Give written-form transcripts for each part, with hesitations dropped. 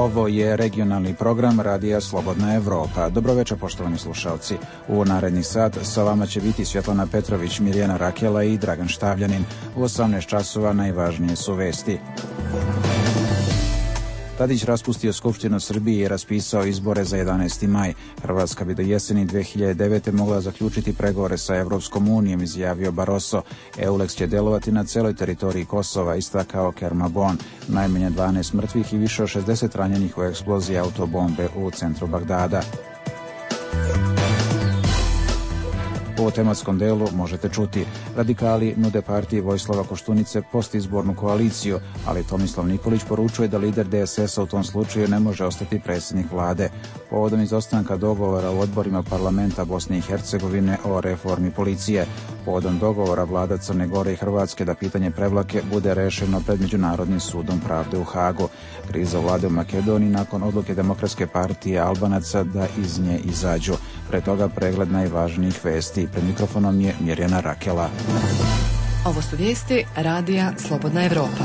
Ovo je regionalni program Radija Slobodna Evropa. Dobroveče, poštovani slušalci. U naredni sat sa vama će biti Svjetlana Petrović, Mirjana Rakela i Dragan Štavljanin. U 18 časova najvažnije su vesti. Tadić raspustio Skupštinu Srbije i raspisao izbore za 11. maj. Hrvatska bi do jeseni 2009. mogla zaključiti pregovore sa Evropskom unijom, izjavio Barroso. EULEX će delovati na celoj teritoriji Kosova, istakao Kermabon. Najmanje 12 mrtvih i više od 60 ranjenih u eksploziji autobombe u centru Bagdada. U tematskom delu možete čuti: radikali nude partiji Vojislava Koštunice postizbornu koaliciju, ali Tomislav Nikolić poručuje da lider DSS-a u tom slučaju ne može ostati predsjednik vlade. Povodom izostanka dogovora u odborima parlamenta Bosne i Hercegovine o reformi policije. Povodom dogovora vlada Crne Gore i Hrvatske da pitanje Prevlake bude rešeno pred Međunarodnim sudom pravde u Hagu. Kriza vlade u Makedoniji nakon odluke Demokratske partije Albanaca da iz nje izađu. Pre toga pregled najvažnijih vesti. Pred mikrofonom je Mirjana Rakela. Ovo su vijesti Radija Slobodna Evropa.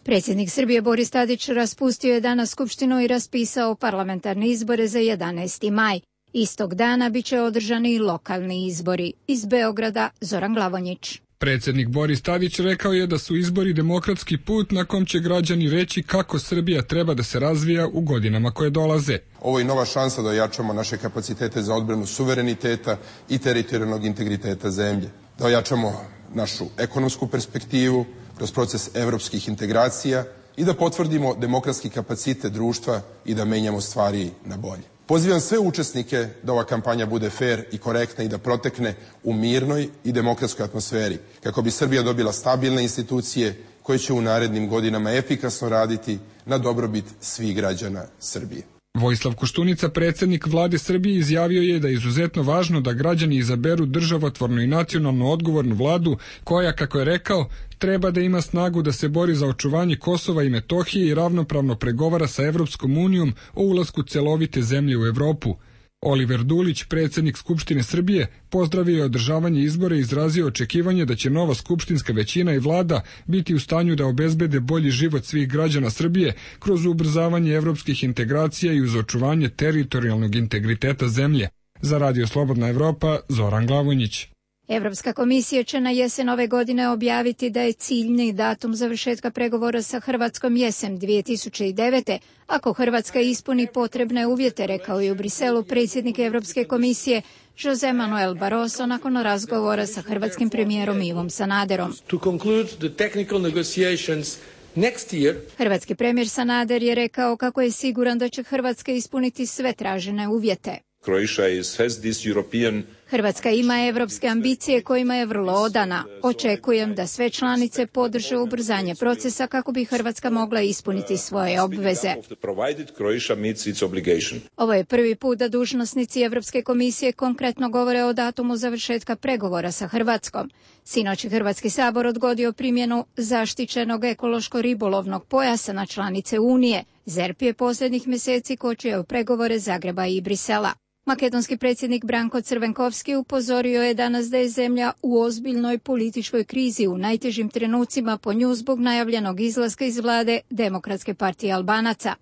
Predsjednik Srbije Boris Tadić raspustio je danas Skupštinu i raspisao parlamentarne izbore za 11. maj. Istog dana bit će održani i lokalni izbori. Iz Beograda Zoran Glavonjić. Predsjednik Boris Tadić rekao je da su izbori demokratski put na kom će građani reći kako Srbija treba da se razvija u godinama koje dolaze. Ovo je nova šansa da ojačamo naše kapacitete za odbranu suvereniteta i teritorijalnog integriteta zemlje. Da ojačamo našu ekonomsku perspektivu kroz proces evropskih integracija i da potvrdimo demokratski kapacitet društva i da menjamo stvari na bolje. Pozivam sve učesnike da ova kampanja bude fer i korektna i da protekne u mirnoj i demokratskoj atmosferi, kako bi Srbija dobila stabilne institucije koje će u narednim godinama efikasno raditi na dobrobit svih građana Srbije. Vojislav Koštunica, predsjednik vlade Srbije, izjavio je da je izuzetno važno da građani izaberu državotvornu i nacionalno odgovornu vladu koja, kako je rekao, treba da ima snagu da se bori za očuvanje Kosova i Metohije i ravnopravno pregovara sa Evropskom unijom o ulasku celovite zemlje u Evropu. Oliver Dulić, predsjednik Skupštine Srbije, pozdravio je održavanje izbora i izrazio očekivanje da će nova skupštinska većina i vlada biti u stanju da obezbede bolji život svih građana Srbije kroz ubrzavanje evropskih integracija i uz očuvanje teritorijalnog integriteta zemlje. Za Radio Slobodna Evropa, Zoran Glavonjić. Evropska komisija će na jesen ove godine objaviti da je ciljni datum završetka pregovora sa Hrvatskom jesen 2009. Ako Hrvatska ispuni potrebne uvjete, rekao je u Briselu predsjednik Evropske komisije José Manuel Barroso nakon razgovora sa hrvatskim premijerom Ivom Sanaderom. Hrvatski premijer Sanader je rekao kako je siguran da će Hrvatska ispuniti sve tražene uvjete. Hrvatska ima evropske ambicije kojima je vrlo odana. Očekujem da sve članice podrže ubrzanje procesa kako bi Hrvatska mogla ispuniti svoje obveze. Ovo je prvi put da dužnosnici Evropske komisije konkretno govore o datumu završetka pregovora sa Hrvatskom. Sinoć je Hrvatski sabor odgodio primjenu zaštićenog ekološko-ribolovnog pojasa na članice Unije. ZERP je posljednjih mjeseci kočio pregovore Zagreba i Brisela. Makedonski predsjednik Branko Crvenkovski upozorio je danas da je zemlja u ozbiljnoj političkoj krizi u najtežim trenucima po nju zbog najavljenog izlaska iz vlade Demokratske partije Albanaca.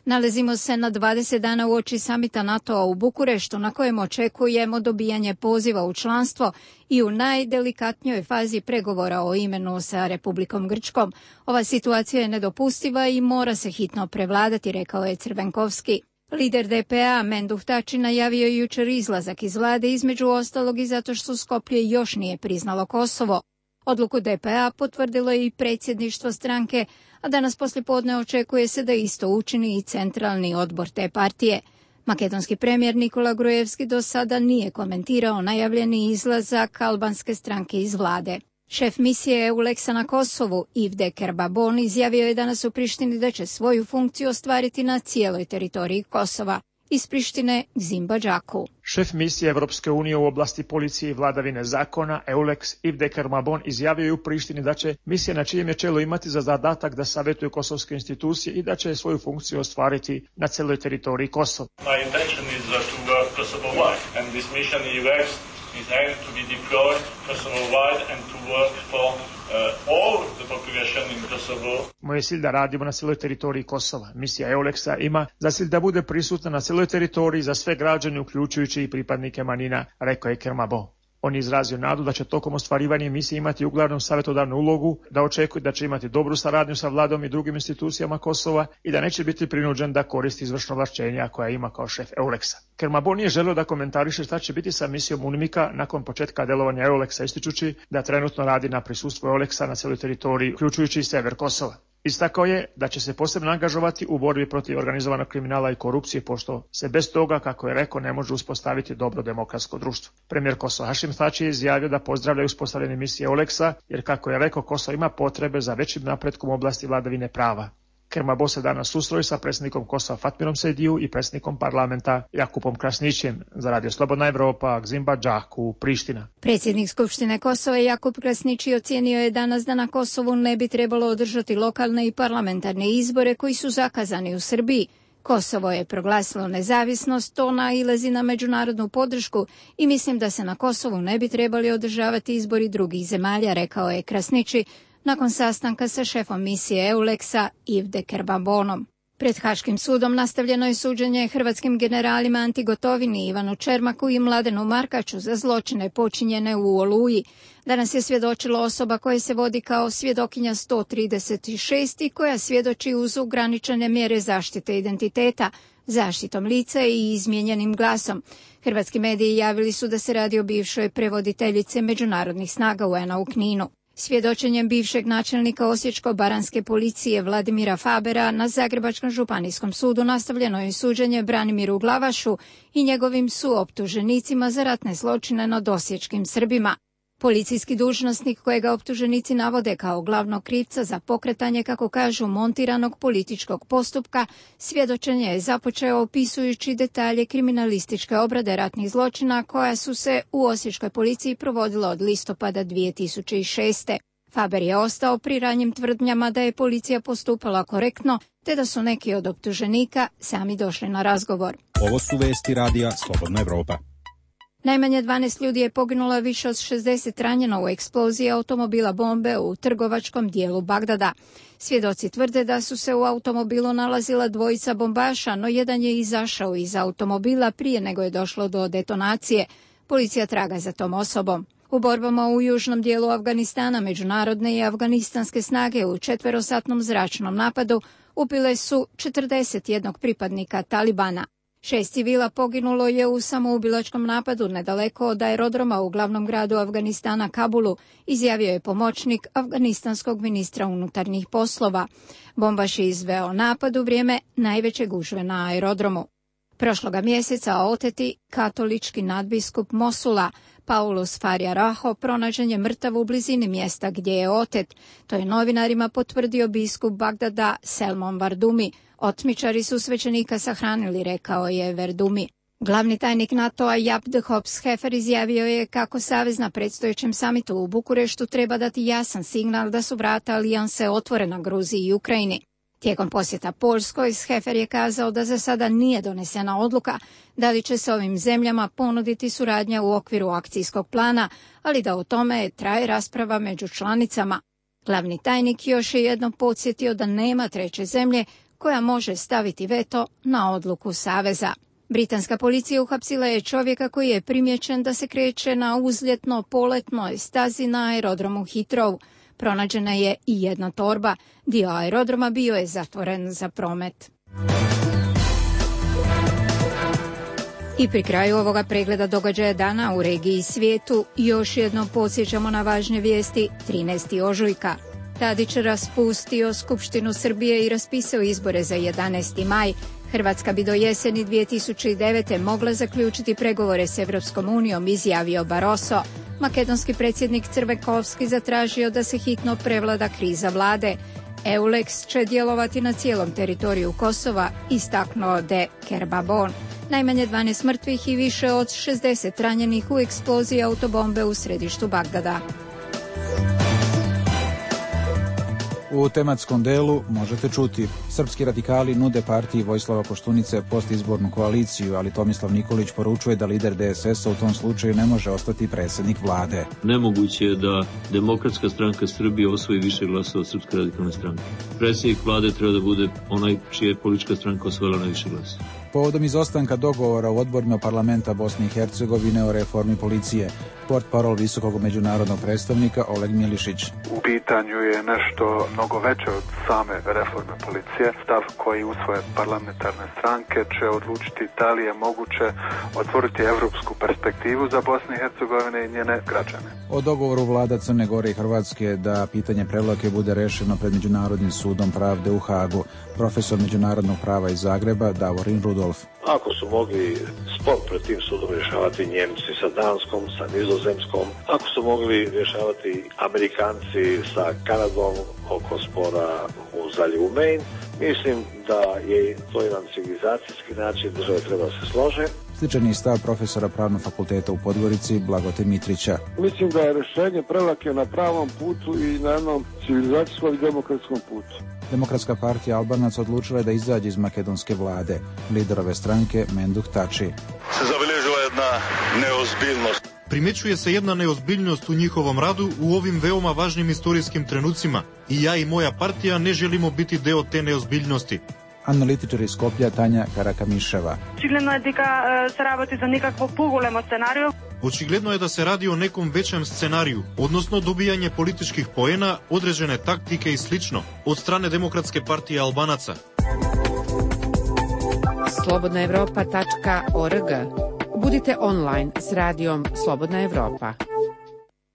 Nalazimo se na 20 dana uoči samita NATO-a u Bukureštu na kojem očekujemo dobijanje poziva u članstvo i u najdelikatnijoj fazi pregovora o imenu sa Republikom Grčkom. Ova situacija je nedopustiva i mora se hitno prevladati, rekao je Crvenkovski. Lider DPA Menduh Tači najavio jučer izlazak iz vlade, između ostalog i zato što Skoplje još nije priznalo Kosovo. Odluku DPA potvrdilo je i predsjedništvo stranke, a danas poslijepodne očekuje se da isto učini i centralni odbor te partije. Makedonski premijer Nikola Grujevski do sada nije komentirao najavljeni izlazak albanske stranke iz vlade. Šef misije EULEX-a na Kosovu, Ivde Kerbabon, izjavio je danas u Prištini da će svoju funkciju ostvariti na cijeloj teritoriji Kosova. Iz Prištine Zimba Džaku. Šef misije Evropske unije u oblasti policije i vladavine zakona, EULEX, Ivde Kerbabon, izjavio je u Prištini da će misija na čijem je čelu imati za zadatak da savjetuje kosovske institucije i da će svoju funkciju ostvariti na cijeloj teritoriji Kosova. My intention is to work Kosovo-wide and this mission EULEX Israel to be deployed Kosovo-wide and to work for all the population in Kosovo. Moj je cilj da radimo na cijeloj teritoriji Kosova. Misija EULEX-a ima za cilj da bude prisutna na cijeloj teritoriji za sve građane, uključujući i pripadnike manjina, rekao je Kermabo. On je izrazio nadu da će tokom ostvarivanja misije imati uglavnom savjetodavnu ulogu, da očekuje da će imati dobru saradnju sa vladom i drugim institucijama Kosova i da neće biti prinuđen da koristi izvršno ovlašćenja koja ima kao šef EULEX-a. Kermabo nije želio da komentariše šta će biti sa misijom UNMIK-a nakon početka delovanja EULEX-a, ističući da trenutno radi na prisustvu EULEX-a na cijeloj teritoriji, uključujući i sever Kosova. Istakao je da će se posebno angažovati u borbi protiv organizovanog kriminala i korupcije, pošto se bez toga, kako je rekao, ne može uspostaviti dobro demokratsko društvo. Premijer Kosova Hašim Tači je izjavio da pozdravlja uspostavljanje misije EULEX-a, jer kako je rekao, Kosovo ima potrebe za većim napretkom u oblasti vladavine prava. Kermabo se danas susreo sa predsjednikom Kosova Fatmirom Sejdiju i predsjednikom parlamenta Jakupom Krasnićem. Za Radio Slobodna Evropa, Gzimba Džaku, Priština. Predsjednik Skupštine Kosova Jakup Krasnići ocijenio je danas da na Kosovu ne bi trebalo održati lokalne i parlamentarne izbore koji su zakazani u Srbiji. Kosovo je proglasilo nezavisnost, to nailazi na međunarodnu podršku i mislim da se na Kosovu ne bi trebali održavati izbori drugih zemalja, rekao je Krasnići nakon sastanka sa šefom misije EULEX-a Yves de Kermabonom. Pred Haškim sudom nastavljeno je suđenje hrvatskim generalima Anti Gotovini, Ivanu Čermaku i Mladenu Markaču za zločine počinjene u Oluji. Danas je svjedočilo osoba koja se vodi kao svjedokinja 136 i koja svjedoči uz ograničene mjere zaštite identiteta, zaštitom lica i izmijenjenim glasom. Hrvatski mediji javili su da se radi o bivšoj prevoditeljice međunarodnih snaga UN-a u Kninu. Svjedočenjem bivšeg načelnika Osječko-baranjske policije Vladimira Fabera na Zagrebačkom županijskom sudu nastavljeno je suđenje Branimiru Glavašu i njegovim suoptuženicima za ratne zločine nad osječkim Srbima. Policijski dužnosnik kojega optuženici navode kao glavnog krivca za pokretanje, kako kažu, montiranog političkog postupka, svjedočenje je započeo opisujući detalje kriminalističke obrade ratnih zločina koja su se u osječkoj policiji provodila od listopada 2006. Faber je ostao pri ranjim tvrdnjama da je policija postupala korektno, te da su neki od optuženika sami došli na razgovor. Ovo su vesti Radija Slobodna Evropa. Najmanje 12 ljudi je poginulo, više od 60 ranjeno u eksploziji automobila bombe u trgovačkom dijelu Bagdada. Svjedoci tvrde da su se u automobilu nalazila dvojica bombaša, no jedan je izašao iz automobila prije nego je došlo do detonacije. Policija traga za tom osobom. U borbama u južnom dijelu Afganistana međunarodne i afganistanske snage u četverosatnom zračnom napadu ubile su 41 pripadnika Talibana. 6 civila poginulo je u samoubilačkom napadu nedaleko od aerodroma u glavnom gradu Afganistana Kabulu, izjavio je pomoćnik afganistanskog ministra unutarnjih poslova. Bombaš je izveo napad u vrijeme najveće gužve na aerodromu. Prošloga mjeseca oteti katolički nadbiskup Mosula, Paulus Faria Raho, pronađen je mrtav u blizini mjesta gdje je otet. To je novinarima potvrdio biskup Bagdada Selmon Vardumi. Otmičari su svećenika sahranili, rekao je Verdumi. Glavni tajnik NATO-a Jaap de Hoop Scheffer izjavio je kako savez na predstojećem samitu u Bukureštu treba dati jasan signal da su vrata alijanse otvorena Gruziji i Ukrajini. Tijekom posjeta Poljskoj, Scheffer je kazao da za sada nije donesena odluka da li će se ovim zemljama ponuditi suradnja u okviru akcijskog plana, ali da o tome traje rasprava među članicama. Glavni tajnik još je jednom podsjetio da nema treće zemlje koja može staviti veto na odluku saveza. Britanska policija uhapsila je čovjeka koji je primijećen da se kreće na uzljetno-poletnoj stazi na aerodromu Heathrow. Pronađena je i jedna torba. Dio aerodroma bio je zatvoren za promet. I pri kraju ovoga pregleda događaja dana u regiji i svijetu još jednom podsjećamo na važne vijesti. 13. ožujka. Tadić raspustio Skupštinu Srbije i raspisao izbore za 11. maj. Hrvatska bi do jeseni 2009. mogla zaključiti pregovore s Evropskom unijom, izjavio Barroso. Makedonski predsjednik Crvenkovski zatražio da se hitno prevlada kriza vlade. EULEX će djelovati na cijelom teritoriju Kosova, istaknuo de Kermabon. Najmanje 12 mrtvih i više od 60 ranjenih u eksploziji autobombe u središtu Bagdada. U tematskom delu možete čuti: srpski radikali nude partiji Vojislava Koštunice postizbornu koaliciju, ali Tomislav Nikolić poručuje da lider DSS-a u tom slučaju ne može ostati predsjednik vlade. Nemoguće je da Demokratska stranka Srbije osvoji više glasova od Srpske radikalne stranke. Predsjednik vlade treba da bude onaj čija je politička stranka osvojila najviše glasova. Povodom izostanka dogovora u odborima parlamenta Bosne i Hercegovine o reformi policije, portparol visokog međunarodnog predstavnika Oleg Milišić. U pitanju je nešto mnogo veće od same reforme policije. Stav koji usvoje parlamentarne stranke će odlučiti da li je moguće otvoriti evropsku perspektivu za Bosnu i Hercegovine i njene građane. O dogovoru vlada Crne Gore i Hrvatske da pitanje Prevlake bude rešeno pred Međunarodnim sudom pravde u Hagu. Profesor međunarodnog prava iz Zagreba Davorin Rudolf. Ako su mogli spor pred tim sudom rješavati Njemci sa Danskom, sa Nizozemskom, ako su mogli rješavati Amerikanci sa Kanadom oko spora u zaljevu Maine, mislim da je to jedan civilizacijski način, države treba da se slože. Sličan je stav profesora Pravnog fakulteta u Podgorici Blagote Mitrića. Mislim da je rješenje Prevlake na pravom putu i na jednom civilizacijskom i demokratskom putu. Demokratska partija Albanaca odlučila je da izađe iz makedonske vlade. Lider ove stranke Menduh Tači. Se zabilježila jedna neozbiljnost. Primećuje se jedna neozbiljnost u njihovom radu u ovim veoma važnim istorijskim trenucima i ja i moja partija ne želimo biti deo te neozbiljnosti. Analitičar iz Skoplja Tanja Karakamiševa. Očigledno je da se raboti za nekakvo pogolemo scenariju. Očigledno je da se radi o nekom većem scenariju, odnosno dobijanje političkih poena, određene taktike i slično, od strane Demokratske partije Albanaca. slobodnaevropa.org. Budite online s radijom Slobodna Evropa.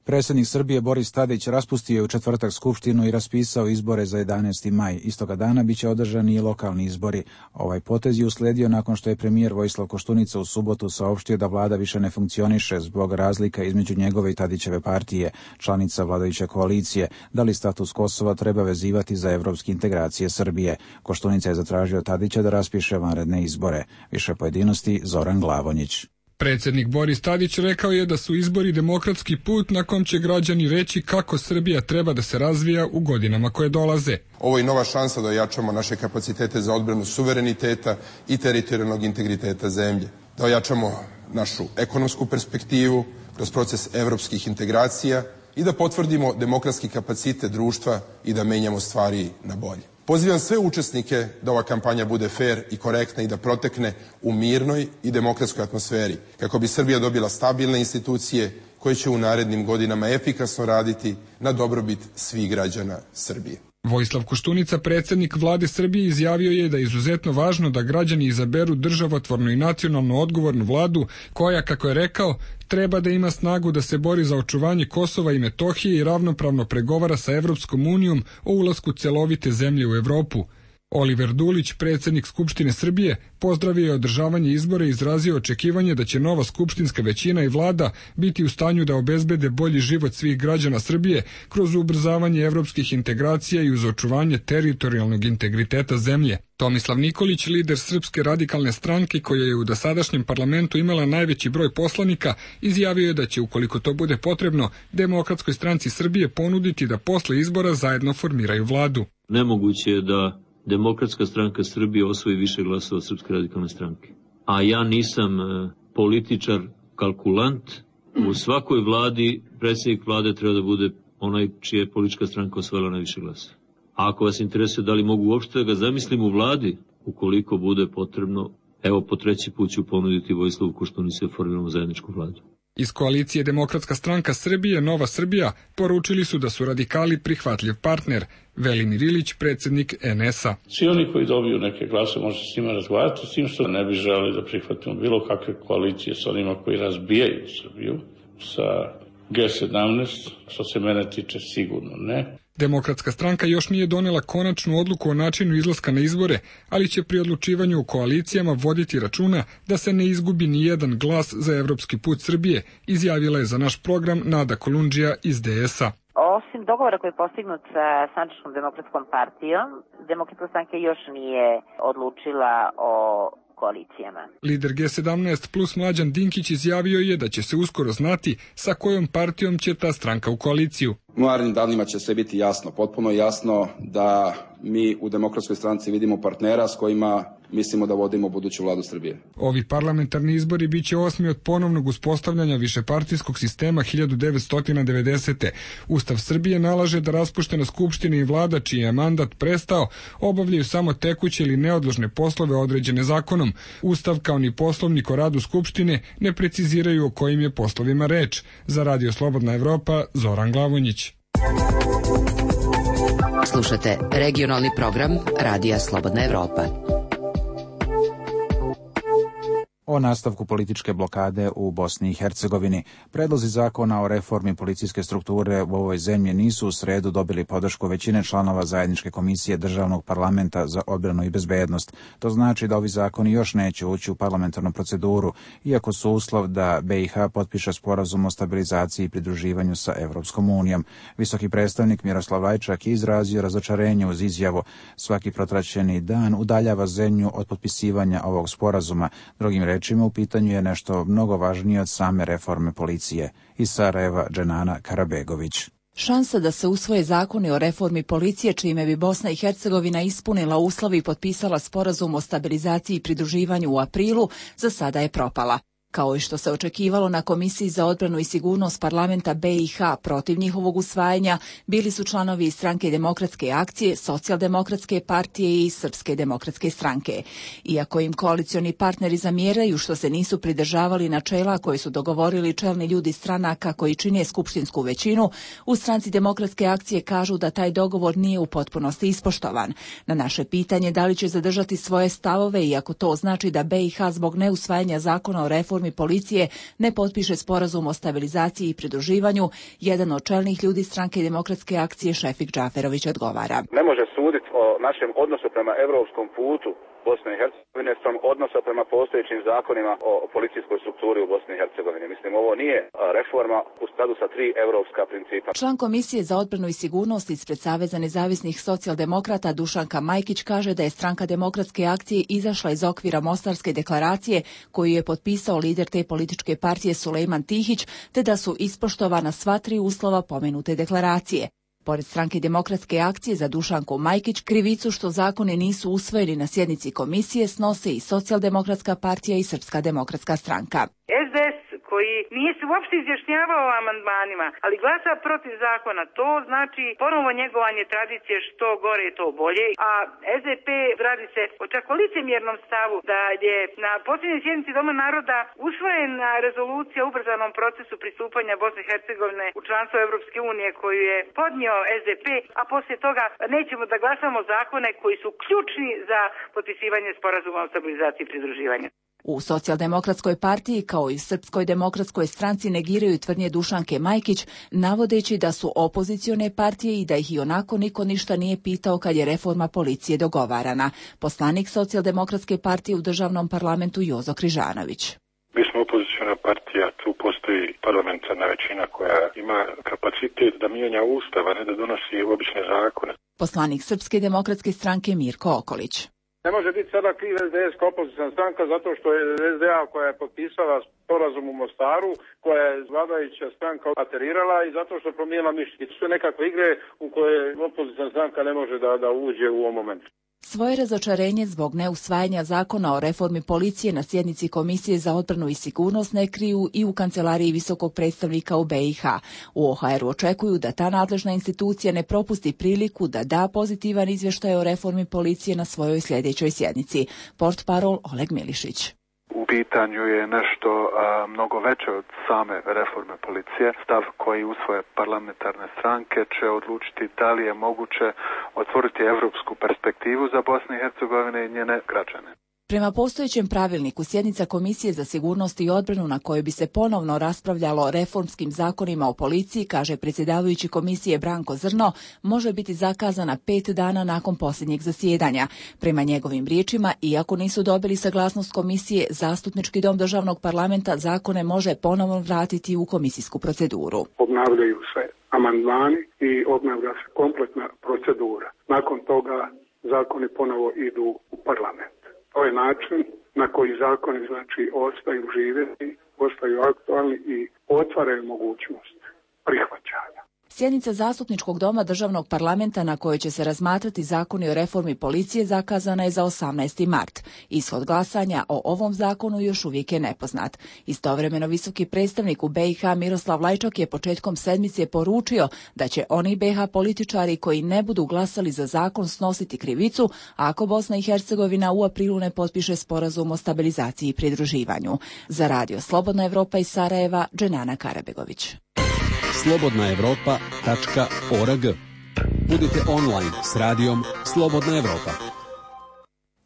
Predsjednik Srbije Boris Tadić raspustio je u četvrtak skupštinu i raspisao izbore za 11. maj. Istoga dana biće održani i lokalni izbori. Ovaj potez je uslijedio nakon što je premijer Vojislav Koštunica u subotu saopštio da vlada više ne funkcioniše zbog razlika između njegove i Tadićeve partije, članica vladajuće koalicije, da li status Kosova treba vezivati za evropske integracije Srbije. Koštunica je zatražio Tadića da raspiše vanredne izbore. Više pojedinosti Zoran Glavonjić. Predsjednik Boris Tadić rekao je da su izbori demokratski put na kom će građani reći kako Srbija treba da se razvija u godinama koje dolaze. Ovo je nova šansa da ojačamo naše kapacitete za odbranu suvereniteta i teritorijalnog integriteta zemlje. Da ojačamo našu ekonomsku perspektivu kroz proces evropskih integracija i da potvrdimo demokratski kapacitet društva i da menjamo stvari na bolje. Pozivam sve učesnike da ova kampanja bude fer i korektna i da protekne u mirnoj i demokratskoj atmosferi, kako bi Srbija dobila stabilne institucije koje će u narednim godinama efikasno raditi na dobrobit svih građana Srbije. Vojislav Koštunica, predsjednik vlade Srbije, izjavio je da je izuzetno važno da građani izaberu državotvornu i nacionalno odgovornu vladu koja, kako je rekao, treba da ima snagu da se bori za očuvanje Kosova i Metohije i ravnopravno pregovara sa Evropskom unijom o ulasku celovite zemlje u Evropu. Oliver Dulić, predsjednik Skupštine Srbije, pozdravio je održavanje izbora i izrazio očekivanje da će nova skupštinska većina i vlada biti u stanju da obezbede bolji život svih građana Srbije kroz ubrzavanje evropskih integracija i uz očuvanje teritorijalnog integriteta zemlje. Tomislav Nikolić, lider Srpske radikalne stranke koja je u dosadašnjem parlamentu imala najveći broj poslanika, izjavio je da će, ukoliko to bude potrebno, Demokratskoj stranci Srbije ponuditi da posle izbora zajedno formiraju vladu. Nemoguće je da Demokratska stranka Srbije osvoji više glasova od Srpske radikalne stranke. A ja nisam političar, kalkulant. U svakoj vladi predsjednik vlade treba da bude onaj čija je politička stranka osvojila najviše glasova. A ako vas interesuje da li mogu uopšte da ga zamislim u vladi, ukoliko bude potrebno, evo po treći put ću ponuditi Vojislavu Koštunici da formiramo zajedničku vladu. Iz koalicije Demokratska stranka Srbije, Nova Srbija, poručili su da su radikali prihvatljiv partner. Velimir Ilić, predsjednik NS-a. Svi oni koji dobiju neke glase, može s njima razgovarati, s tim što ne bi želeli da prihvatimo bilo kakve koalicije sa onima koji razbijaju Srbiju, sa G17, što se mene tiče sigurno ne. Demokratska stranka još nije donela konačnu odluku o načinu izlaska na izbore, ali će pri odlučivanju u koalicijama voditi računa da se ne izgubi ni jedan glas za evropski put Srbije, izjavila je za naš program Nada Kolundžija iz DS-a. Osim dogovora koji je postignut sa Sandžačkom demokratskom partijom, Demokratska stranka još nije odlučila o koalicijama. Lider G17 plus Mlađan Dinkić izjavio je da će se uskoro znati sa kojom partijom će ta stranka u koaliciju. U narednim danima će sve biti jasno, potpuno jasno da mi u Demokratskoj stranci vidimo partnera s kojima mislimo da vodimo buduću vladu Srbije. Ovi parlamentarni izbori biće 8. od ponovnog uspostavljanja višepartijskog sistema 1990. Ustav Srbije nalaže da raspuštena skupština i vlada čiji je mandat prestao obavljaju samo tekuće ili neodložne poslove određene zakonom. Ustav kao ni poslovnik o radu skupštine ne preciziraju o kojim je poslovima reč. Za Radio Slobodna Evropa, Zoran Glavonjić. Slušate regionalni program Radija Slobodna Evropa. O nastavku političke blokade u Bosni i Hercegovini. Predlozi zakona o reformi policijske strukture u ovoj zemlji nisu u sredu dobili podršku većine članova zajedničke komisije Državnog parlamenta za odbranu i bezbednost. To znači da ovi zakoni još neće ući u parlamentarnu proceduru, iako su uslov da BiH potpiše sporazum o stabilizaciji i pridruživanju sa Evropskom unijom. Visoki predstavnik Miroslav Lajčak je izrazio razočarenje uz izjavu: svaki protraćeni dan udaljava zemlju od potpisivanja ovog sporazuma. Drugim rečima, u pitanju je nešto mnogo važnije od same reforme policije. Iz Sarajeva, Dženana Karabegović. Šansa da se usvoje zakoni o reformi policije, čime bi Bosna i Hercegovina ispunila uslove i potpisala sporazum o stabilizaciji i pridruživanju u aprilu, za sada je propala. Kao i što se očekivalo na Komisiji za odbranu i sigurnost parlamenta BiH, protiv njihovog usvajanja bili su članovi iz Stranke demokratske akcije, Socijaldemokratske partije i Srpske demokratske stranke. Iako im koalicioni partneri zamjeraju što se nisu pridržavali načela koje su dogovorili čelni ljudi stranaka koji čine skupštinsku većinu, u Stranci demokratske akcije kažu da taj dogovor nije u potpunosti ispoštovan. Na naše pitanje da li će zadržati svoje stavove, iako to znači da BiH zbog neusvajanja zakona o reformi policije ne potpiše sporazum o stabilizaciji i pridruživanju, jedan od čelnih ljudi Stranke demokratske akcije Šefik Džaferović odgovara. Ne može suditi o našem odnosu prema evropskom putu Bosne i Hercegovine sam odnosa prema postojećim zakonima o policijskoj strukturi u Bosni i Hercegovini. Mislim, ovo nije reforma u skladu sa 3 evropska principa. Član Komisije za odbranu i sigurnost ispred Saveza nezavisnih socijaldemokrata Dušanka Majkić kaže da je Stranka demokratske akcije izašla iz okvira Mostarske deklaracije koju je potpisao lider te političke partije Sulejman Tihić, te da su ispoštovana sva 3 uslova pomenute deklaracije. Pored Stranke demokratske akcije za Dušanku Majkić, krivicu što zakoni nisu usvojeni na sjednici komisije snose i Socijaldemokratska partija i Srpska demokratska stranka. SDS koji nije se uopšte izjašnjavao o amandmanima, ali glasa protiv zakona, to znači ponovo njegovanje tradicije što gore to bolje, a SDP radi se o čak licemjernom stavu da je na posljednjoj sjednici Doma naroda usvojena rezolucija o ubrzanom procesu pristupanja Bosne i Hercegovine u članstvo Evropske unije koju je podnio SDP, a poslije toga nećemo da glasamo zakone koji su ključni za potpisivanje sporazuma o stabilizaciji i pridruživanju. U Socijaldemokratskoj partiji kao i Srpskoj demokratskoj stranci negiraju tvrdnje Dušanke Majkić, navodeći da su opozicione partije i da ih ionako niko ništa nije pitao kad je reforma policije dogovarana. Poslanik Socijaldemokratske partije u državnom parlamentu Jozo Križanović. Mi smo opoziciona partija, tu postoji parlamentarna većina koja ima kapacitet da mijenja ustav, a ne da donosi obične zakone. Poslanik Srpske demokratske stranke Mirko Okolić. Ne može biti sada kriv SDS kao opozicijna stranka zato što je SDA koja je potpisala sporazum u Mostaru, koja je vladajuća stranka aterirala i zato što promijenila mišljenje. To su nekakve igre u koje opozicijna stranka ne može da uđe u ovom momentu. Svoje razočarenje zbog neusvajanja zakona o reformi policije na sjednici Komisije za odbranu i sigurnost ne kriju i u kancelariji visokog predstavnika u BiH. U OHR-u očekuju da ta nadležna institucija ne propusti priliku da da pozitivan izvještaj o reformi policije na svojoj sljedećoj sjednici. Portparol Oleg Milišić. U pitanju je nešto mnogo veće od same reforme policije. Stav koji usvoje parlamentarne stranke će odlučiti da li je moguće otvoriti evropsku perspektivu za Bosnu i Hercegovinu i njene građane. Prema postojećem pravilniku, sjednica Komisije za sigurnost i odbranu na kojoj bi se ponovno raspravljalo o reformskim zakonima o policiji, kaže predsjedavajući komisije Branko Zrno, može biti zakazana 5 dana nakon posljednjeg zasjedanja. Prema njegovim riječima, iako nisu dobili saglasnost komisije, Zastupnički dom državnog parlamenta zakone može ponovno vratiti u komisijsku proceduru. Obnavljaju se amandmani i obnavlja se kompletna procedura. Nakon toga zakoni ponovo idu u parlament. To je način na koji zakoni ostaju živjeti, ostaju aktualni i otvaraju mogućnost prihvaćanja. Sjednica Zastupničkog doma Državnog parlamenta na kojoj će se razmatrati zakoni o reformi policije zakazana je za 18. mart. Ishod glasanja o ovom zakonu još uvijek je nepoznat. Istovremeno visoki predstavnik u BiH Miroslav Lajčak je početkom sedmice poručio da će oni BiH političari koji ne budu glasali za zakon snositi krivicu ako Bosna i Hercegovina u aprilu ne potpiše sporazum o stabilizaciji i pridruživanju. Za Radio Slobodna Evropa iz Sarajeva, Dženana Karabegović. slobodnaevropa.org. Budite online s radijom Slobodna Evropa.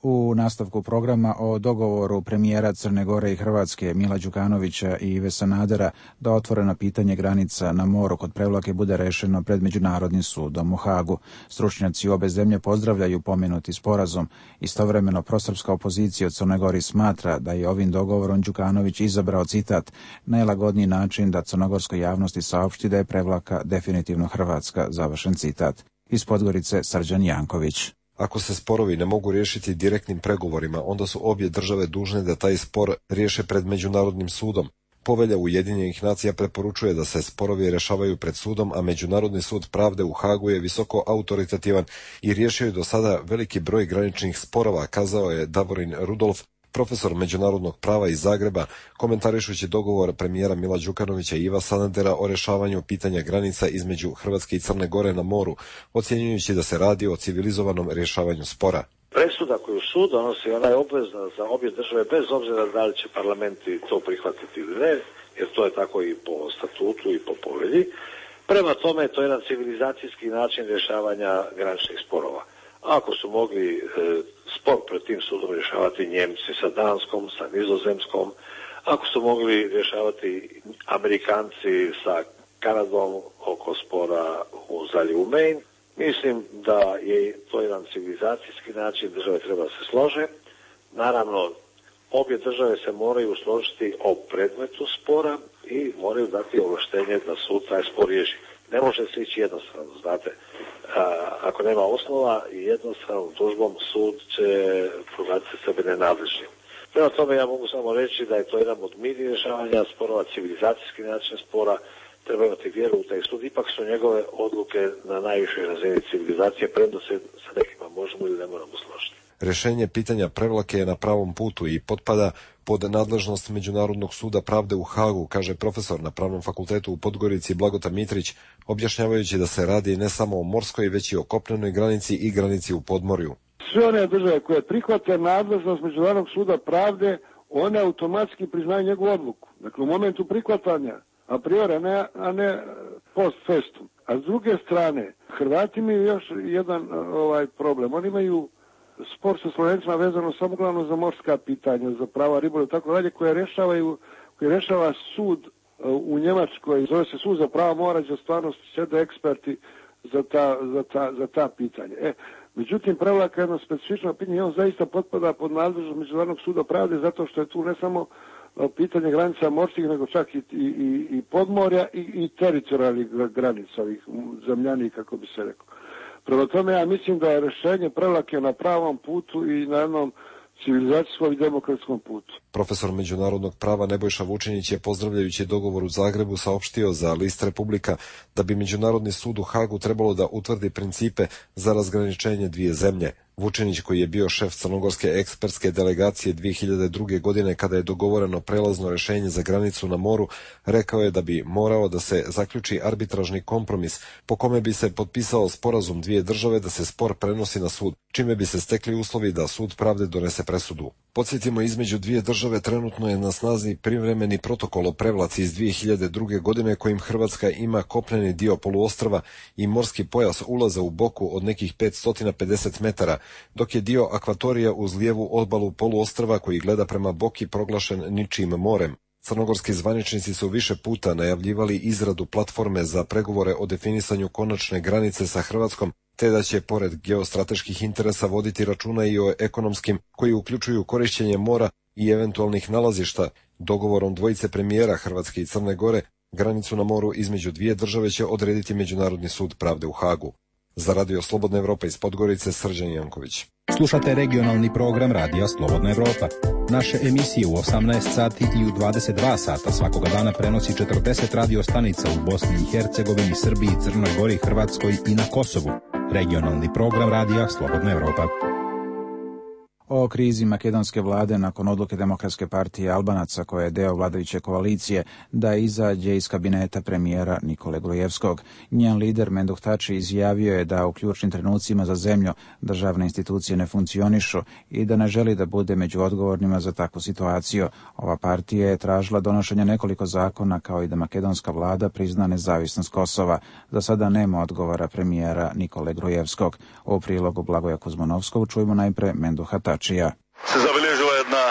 U nastavku programa o dogovoru premijera Crne Gore i Hrvatske Mila Đukanovića i Ive Sanadera da otvoreno pitanje granica na moru kod Prevlake bude rešeno pred Međunarodnim sudom u Hagu. Stručnjaci obe zemlje pozdravljaju pomenuti sporazum. Istovremeno prosrpska opozicija u Crnoj Gori smatra da je ovim dogovorom Đukanović izabrao, citat, najlagodniji način da crnogorskoj javnosti saopšti da je Prevlaka definitivno hrvatska, završen citat. Iz Podgorice Srđan Janković. Ako se sporovi ne mogu riješiti direktnim pregovorima, onda su obje države dužne da taj spor riješe pred Međunarodnim sudom. Povelja Ujedinjenih nacija preporučuje da se sporovi rješavaju pred sudom, a Međunarodni sud pravde u Hagu je visoko autoritativan i riješio je do sada veliki broj graničnih sporova, kazao je Davorin Rudolf, profesor međunarodnog prava iz Zagreba, komentarišući dogovor premijera Mila Đukanovića i Iva Sanadera o rješavanju pitanja granica između Hrvatske i Crne Gore na moru, ocjenjujući da se radi o civilizovanom rješavanju spora. Presuda koju sud donosi, ona je obvezna za obje države, bez obzira da li će parlamenti to prihvatiti ili ne, jer to je tako i po statutu i po povelji. Prema tome, to je jedan civilizacijski način rješavanja graničnih sporova. Ako su mogli spor pred tim sudom rješavati Njemci sa Danskom, sa Nizozemskom, ako su mogli rješavati Amerikanci sa Kanadom oko spora u zaljevu Maine, mislim da je to jedan civilizacijski način, države treba se slože. Naravno, obje države se moraju složiti o predmetu spora i moraju dati ovlaštenje da sud taj spor riješi. Ne može se ići jednostavno, znate. Ako nema osnova i jednostavnom tužbom sud će proglasiti sebe nenadležnim. Prema tome ja mogu samo reći da je to jedan od mirnih rješavanja sporova, civilizacijski način spora, treba imati vjeru u taj sud, ipak su njegove odluke na najvišoj razini civilizacije, premda se sa nekima možemo ili ne moramo složiti. Rješenje pitanja Prevlake je na pravom putu i potpada pod nadležnost Međunarodnog suda pravde u Hagu, kaže profesor na Pravnom fakultetu u Podgorici Blagota Mitrić, objašnjavajući da se radi ne samo o morskoj, već i o kopnenoj granici i granici u podmorju. Sve one države koje prihvate nadležnost Međunarodnog suda pravde, one automatski priznaju njegovu odluku. Dakle, u momentu prihvatanja, a priori, a ne post festum. A s druge strane, Hrvati imaju još jedan problem. Oni imaju spor sa Slovencima vezano samo glavno za morska pitanja, za prava ribolova i tako dalje, koje rješava sud u Njemačkoj, zove se sud za prava mora, gdje stvarno sjede eksperti za ta pitanja. Međutim, Prevlaka je jedno specifično pitanje i on zaista potpada pod nadležnost Međunarodnog suda pravde zato što je tu ne samo pitanje granica morskih, nego čak i podmorja i teritorijalnih granica, ovih zemljanih, kako bi se rekao. Prema tome, ja mislim da je rješenje Prevlake na pravom putu i na jednom civilizacijskom i demokratskom putu. Profesor međunarodnog prava Nebojša Vučinić je, pozdravljajući dogovor u Zagrebu, saopštio za List Republika da bi Međunarodni sud u Hagu trebalo da utvrdi principe za razgraničenje dvije zemlje. Vučinić, koji je bio šef crnogorske ekspertske delegacije 2002. godine kada je dogovoreno prelazno rješenje za granicu na moru, rekao je da bi morao da se zaključi arbitražni kompromis po kome bi se potpisao sporazum dvije države da se spor prenosi na sud, čime bi se stekli uslovi da sud pravde donese presudu. Podsjetimo, između dvije države trenutno je na snazi privremeni protokol o Prevlaci iz 2002. godine kojim Hrvatska ima kopneni dio poluostrva i morski pojas ulaza u Boku od nekih 550 metara, dok je dio akvatorija uz lijevu obalu poluostrva koji gleda prema Boki proglašen ničim morem. Crnogorski zvaničnici su više puta najavljivali izradu platforme za pregovore o definisanju konačne granice sa Hrvatskom, te da će pored geostrateških interesa voditi računa i o ekonomskim, koji uključuju korištenje mora i eventualnih nalazišta. Dogovorom dvojice premijera Hrvatske i Crne Gore granicu na moru između dvije države će odrediti Međunarodni sud pravde u Hagu. Za Radio Slobodna Evropa iz Podgorice, Srđan Janković. Slušate regionalni program Radija Slobodna Evropa. Naše emisije u 18 sati i u 22 sata svakoga dana prenosi 40 radio stanica u Bosni i Hercegovini, Srbiji, Crnoj Gori, Hrvatskoj i na Kosovu. Regionalni program Radija Slobodna Evropa. O krizi makedonske vlade nakon odluke Demokratske partije Albanaca, koja je deo vladajuće koalicije, da izađe iz kabineta premijera Nikole Grujevskog. Njen lider Menduh Tači izjavio je da u ključnim trenucima za zemlju državne institucije ne funkcionišu i da ne želi da bude među odgovornima za takvu situaciju. Ova partija je tražila donošenje nekoliko zakona, kao i da makedonska vlada prizna nezavisnost Kosova. Za sada nema odgovora premijera Nikole Grujevskog. U prilogu Blagoja Kuzmanovskog čujemo najpre Menduha Tačija. Se zabeležila jedna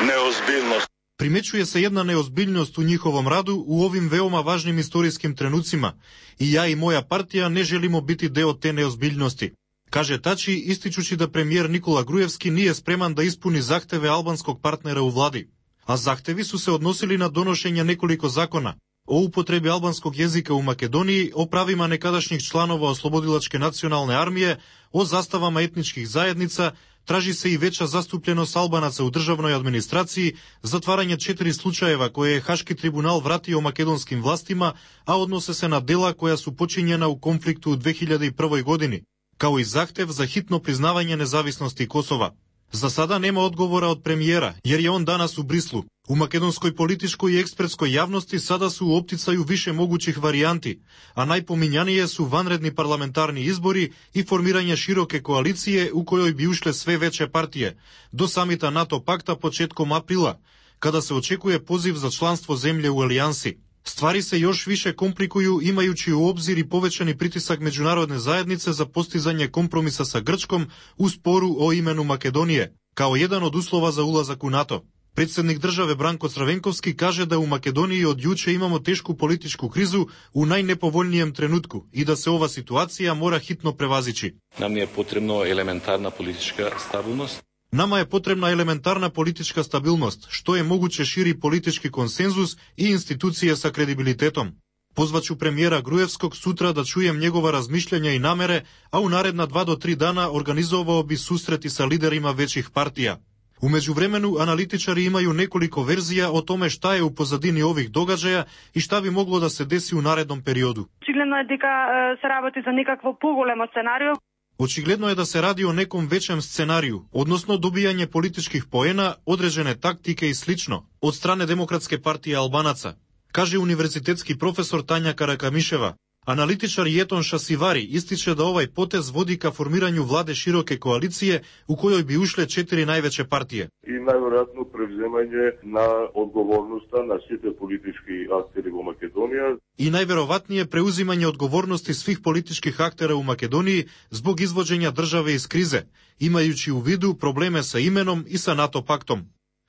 neozbiljnost. Primećuje se jedna neozbiljnost u njihovom radu u ovim veoma važnim istorijskim trenucima i ja i moja partija ne želimo biti deo te neozbiljnosti, kaže Tači, ističući da premijer Nikola Grujevski nije spreman da ispuni zahteve albanskog partnera u vladi. A zahtevi su se odnosili na donošenje nekoliko zakona o upotrebi albanskog jezika u Makedoniji, o pravima nekadašnjih članova Oslobodilačke nacionalne armije, o zastavama etničkih zajednica. Traži se i veća zastupljenost Albanaca u državnoj administraciji, zatvaranje 4 slučajeva koje je Haški tribunal vratio makedonskim vlastima, a odnose se na dela koja su počinjena u konfliktu u 2001. godini, kao i zahtev za hitno priznavanje nezavisnosti Kosova. Za sada nema odgovora od premijera, jer je on danas u Brislu. U makedonskoj političkoj i ekspertskoj javnosti sada su u opticaju više mogućih varijanti, a najpominjanije su vanredni parlamentarni izbori i formiranje široke koalicije u kojoj bi ušle sve veće partije, do samita NATO pakta početkom aprila, kada se očekuje poziv za članstvo zemlje u alijansi. Stvari se još više komplikuju imajući u obzir i povećani pritisak međunarodne zajednice za postizanje kompromisa sa Grčkom u sporu o imenu Makedonije, kao jedan od uslova za ulazak u NATO. Predsjednik države Branko Crvenkovski kaže da u Makedoniji od juče imamo tešku političku krizu u najnepovoljnijem trenutku i da se ova situacija mora hitno prevazići. Nam je potrebno elementarna politička stabilnost. Nama je potrebna elementarna politička stabilnost, što je moguće širi politički konsenzus i institucije sa kredibilitetom. Pozvaću premijera Grujevskog sutra da čujem njegova razmišljanja i namere, a u naredna 2 do 3 dana organizovao bi susreti sa liderima većih partija. U međuvremenu analitičari imaju nekoliko verzija o tome šta je u pozadini ovih događaja i šta bi moglo da se desi u narednom periodu. Očigledno je дека se работи за некакво поголемо сценарио. Očigledno je da se radi o nekom većem scenariju, odnosno dobijanje političkih poena, određene taktike i slično, od strane Demokratske partije Albanaca, kaže univerzitetski profesor Tanja Karakamiševa. Analitičar Jeton Šasivari ističe da ovaj potez vodi ka formiranju vlade široke koalicije u kojoj bi ušle 4 najveće partije. I najvjerojatno prevzemanje na odgovornosta na sve politički akteri u Makedoniji. I najverovatnije preuzimanje odgovornosti svih političkih aktera u Makedoniji zbog izvođenja države iz krize, imajući u vidu probleme sa imenom i sa NATO paktom.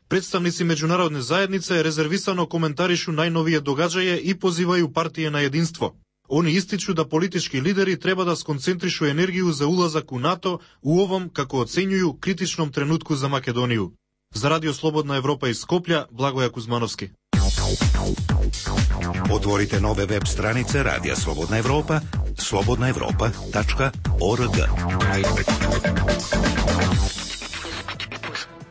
Predstavnici međunarodne zajednice rezervisano komentarišu najnovije događaje i pozivaju partije na jedinstvo. Oni ističu da politički lideri treba da skoncentrišu energiju za ulazak u NATO u ovom, kako ocenjuju, kritičnom trenutku za Makedoniju. Za Radio Slobodna Evropa iz Skoplja, Blagoja Kuzmanovski. Otvorite nove web stranice Radija Slobodna Evropa, slobodnaevropa.org.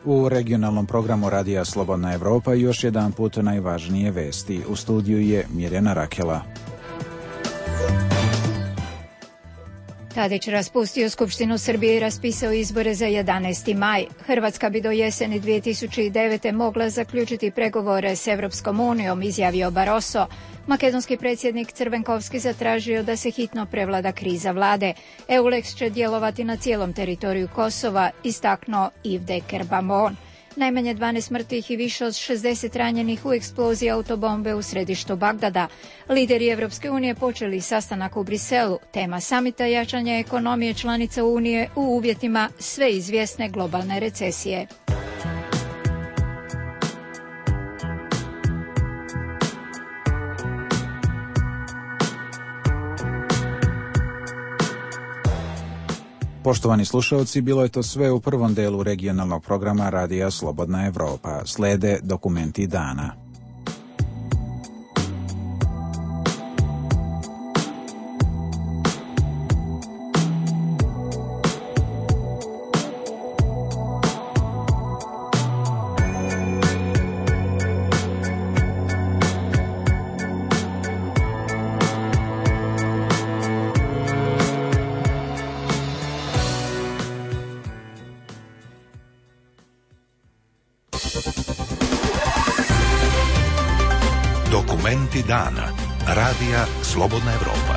U regionalnom programu Radija Slobodna Evropa još jedan put najvažnije vesti. U studiju je Mirjana Rakela. Tadić raspustio Skupštinu Srbije i raspisao izbore za 11. maj. Hrvatska bi do jeseni 2009. mogla zaključiti pregovore s Evropskom unijom, izjavio Barroso. Makedonski predsjednik Crvenkovski zatražio da se hitno prevlada kriza vlade. EULEX će djelovati na cijelom teritoriju Kosova, istaknuo Yves de Kerbamon. Najmanje 12 mrtvih i više od 60 ranjenih u eksploziji autobombe u središtu Bagdada. Lideri Evropske unije počeli sastanak u Briselu. Tema samita jačanja ekonomije članica Unije u uvjetima sve izvjesne globalne recesije. Poštovani slušalci, bilo je to sve u prvom delu regionalnog programa Radija Slobodna Evropa. Slede dokumenti dana. Dokumenti dana. Radija Slobodna Evropa.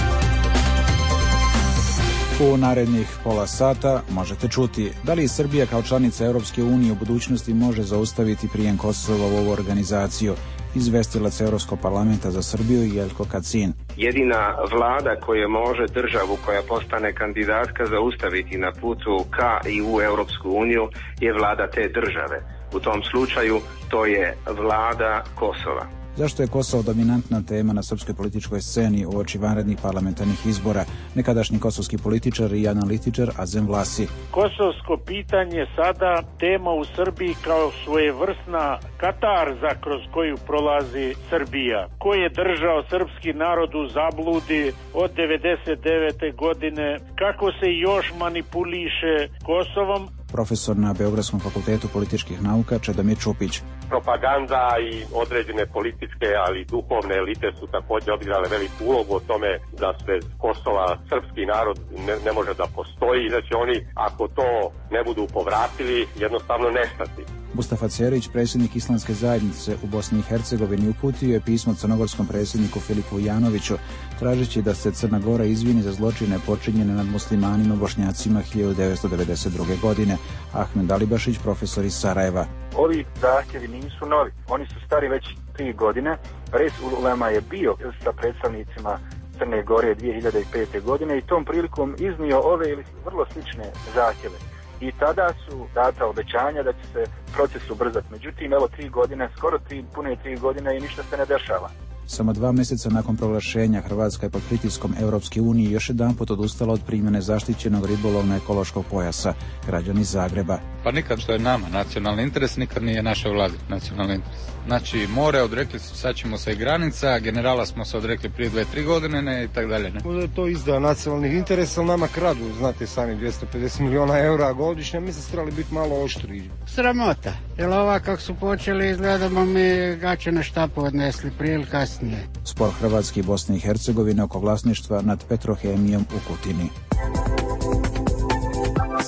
U narednih pola sata možete čuti da li Srbija kao članica Europske unije u budućnosti može zaustaviti prijem Kosova u ovu organizaciju. Izvestilac Europskog parlamenta za Srbiju Jelko Kacin. Jedina vlada koja može državu koja postane kandidatka zaustaviti na putu ka i u Europsku uniju je vlada te države. U tom slučaju to je vlada Kosova. Zašto je Kosovo dominantna tema na srpskoj političkoj sceni uoči vanrednih parlamentarnih izbora? Nekadašnji kosovski političar i analitičar Azem Vlasi. Kosovsko pitanje sada tema u Srbiji kao svojevrsna katarza kroz koju prolazi Srbija. Ko je držao srpski narod u zabludi od 99. godine? Kako se još manipuliše Kosovom? Profesor na Beogradskom fakultetu političkih nauka Čedomir Čupić. Propaganda i određene političke, ali i duhovne elite su također odigrale veliku ulogu o tome da bez Kosova srpski narod ne može da postoji i da će oni, ako to ne budu povratili, jednostavno nestati. Mustafa Cerić, predsjednik Islamske zajednice u Bosni i Hercegovini, uputio je pismo crnogorskom predsjedniku Filipu Janoviću, tražeći da se Crna Gora izvini za zločine počinjene nad muslimanima Bošnjacima 1992. godine. Ahmed Alibašić, profesor iz Sarajeva. Ovi zahtjevi nisu novi, oni su stari već 3 godine. Res ulema je bio sa predstavnicima Crne Gore 2005. godine i tom prilikom iznio ove ili vrlo slične zahtjeve. I tada su data obećanja da će se proces ubrzati. Međutim, evo 3 godine, skoro pune 3 godine i ništa se ne dešava. Samo 2 mjeseca nakon proglašenja Hrvatska je pod pritiskom Europske unije još jedanput odustala od primjene zaštićenog ribolovno-ekološkog pojasa. Građani Zagreba. Pa nikad što je nama nacionalni interes, nikad nije naša vlada nacionalni interes. Znači, more odrekli su, sad ćemo se i granica, generala smo se odrekli prije 2-3 godine, ne, i tak dalje. Ne. To izda nacionalnih interesa, ali nama kradu, znate sami, 250 milijuna eura godišnje, mi se trebali biti malo oštri. Sramota, jer ova kako su počeli izgledamo mi gaće na štapu odnesli prije ili kasnije. Spor Hrvatske i Bosne i Hercegovine oko vlasništva nad Petrohemijom u Kutini.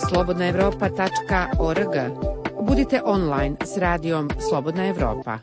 slobodnaevropa.org. Budite online s radijom Slobodna Evropa.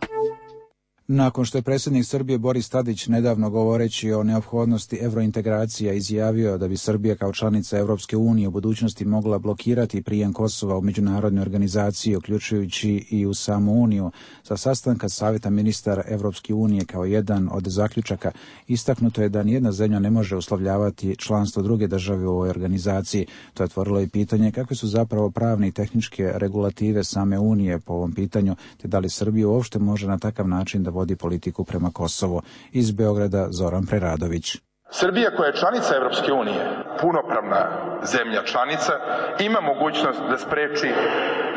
Nakon što je predsjednik Srbije Boris Tadić nedavno govoreći o neophodnosti evrointegracija izjavio da bi Srbija kao članica Europske unije u budućnosti mogla blokirati prijem Kosova u međunarodne organizacije, uključujući i u samu Uniju, sa sastanka Savjeta ministara Europske unije kao jedan od zaključaka, istaknuto je da nijedna zemlja ne može uslovljavati članstvo druge države u ovoj organizaciji. To je otvorilo i pitanje kakve su zapravo pravne i tehničke regulative same Unije po ovom pitanju, te da li Srbija uopšte može na takav način da vodi politiku prema Kosovu. Iz Beograda Zoran Preradović. Srbija koja je članica Europske unije, punopravna zemlja članica, ima mogućnost da spreči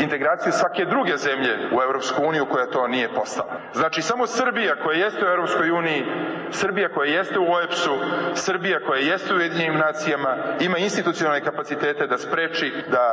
integraciju svake druge zemlje u Europsku uniju koja to nije postala. Znači samo Srbija koja jeste u Europskoj uniji, Srbija koja jeste u OEBS-u, Srbija koja jeste u Ujedinjenim nacijama ima institucionalne kapacitete da spreči da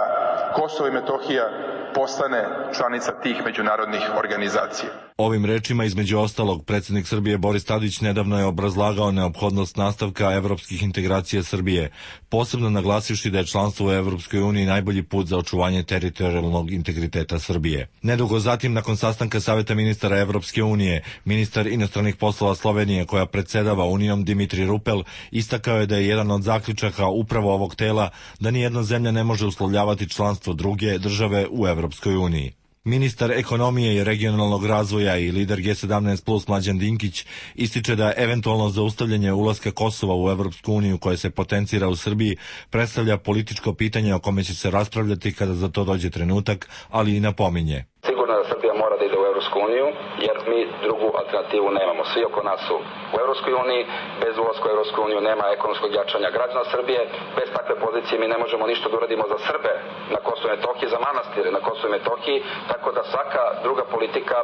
Kosovo i Metohija postane članica tih međunarodnih organizacija. Ovim rečima, između ostalog, predsjednik Srbije Boris Tadić nedavno je obrazlagao neophodnost nastavka evropskih integracija Srbije, posebno naglasivši da je članstvo u Evropskoj uniji najbolji put za očuvanje teritorijalnog integriteta Srbije. Nedugo zatim, nakon sastanka Savjeta ministara Evropske unije, ministar inostranih poslova Slovenije, koja predsjedava Unijom, Dimitri Rupel, istakao je da je jedan od zaključaka upravo ovog tela da nijedna zemlja ne može uslovljavati članstvo druge države u Evropskoj uniji. Ministar ekonomije i regionalnog razvoja i lider G17 plus Mlađan Dinkić ističe da eventualno zaustavljanje ulaska Kosova u Evropsku uniju koje se potencira u Srbiji predstavlja političko pitanje o kome će se raspravljati kada za to dođe trenutak, ali i napominje. Sigurno da Srbija mora da ide u Evropsku uniju, jer mi drugu alternativu nemamo. Svi oko nas su u Evropskoj uniji, bez ulaska u Evropsku uniju nema ekonomskog jačanja građana Srbije, bez takve pozicije mi ne možemo ništa da uradimo za Srbe na Kosovu i Metohiji, za manastire na Kosovu i Metohiji, tako da svaka druga politika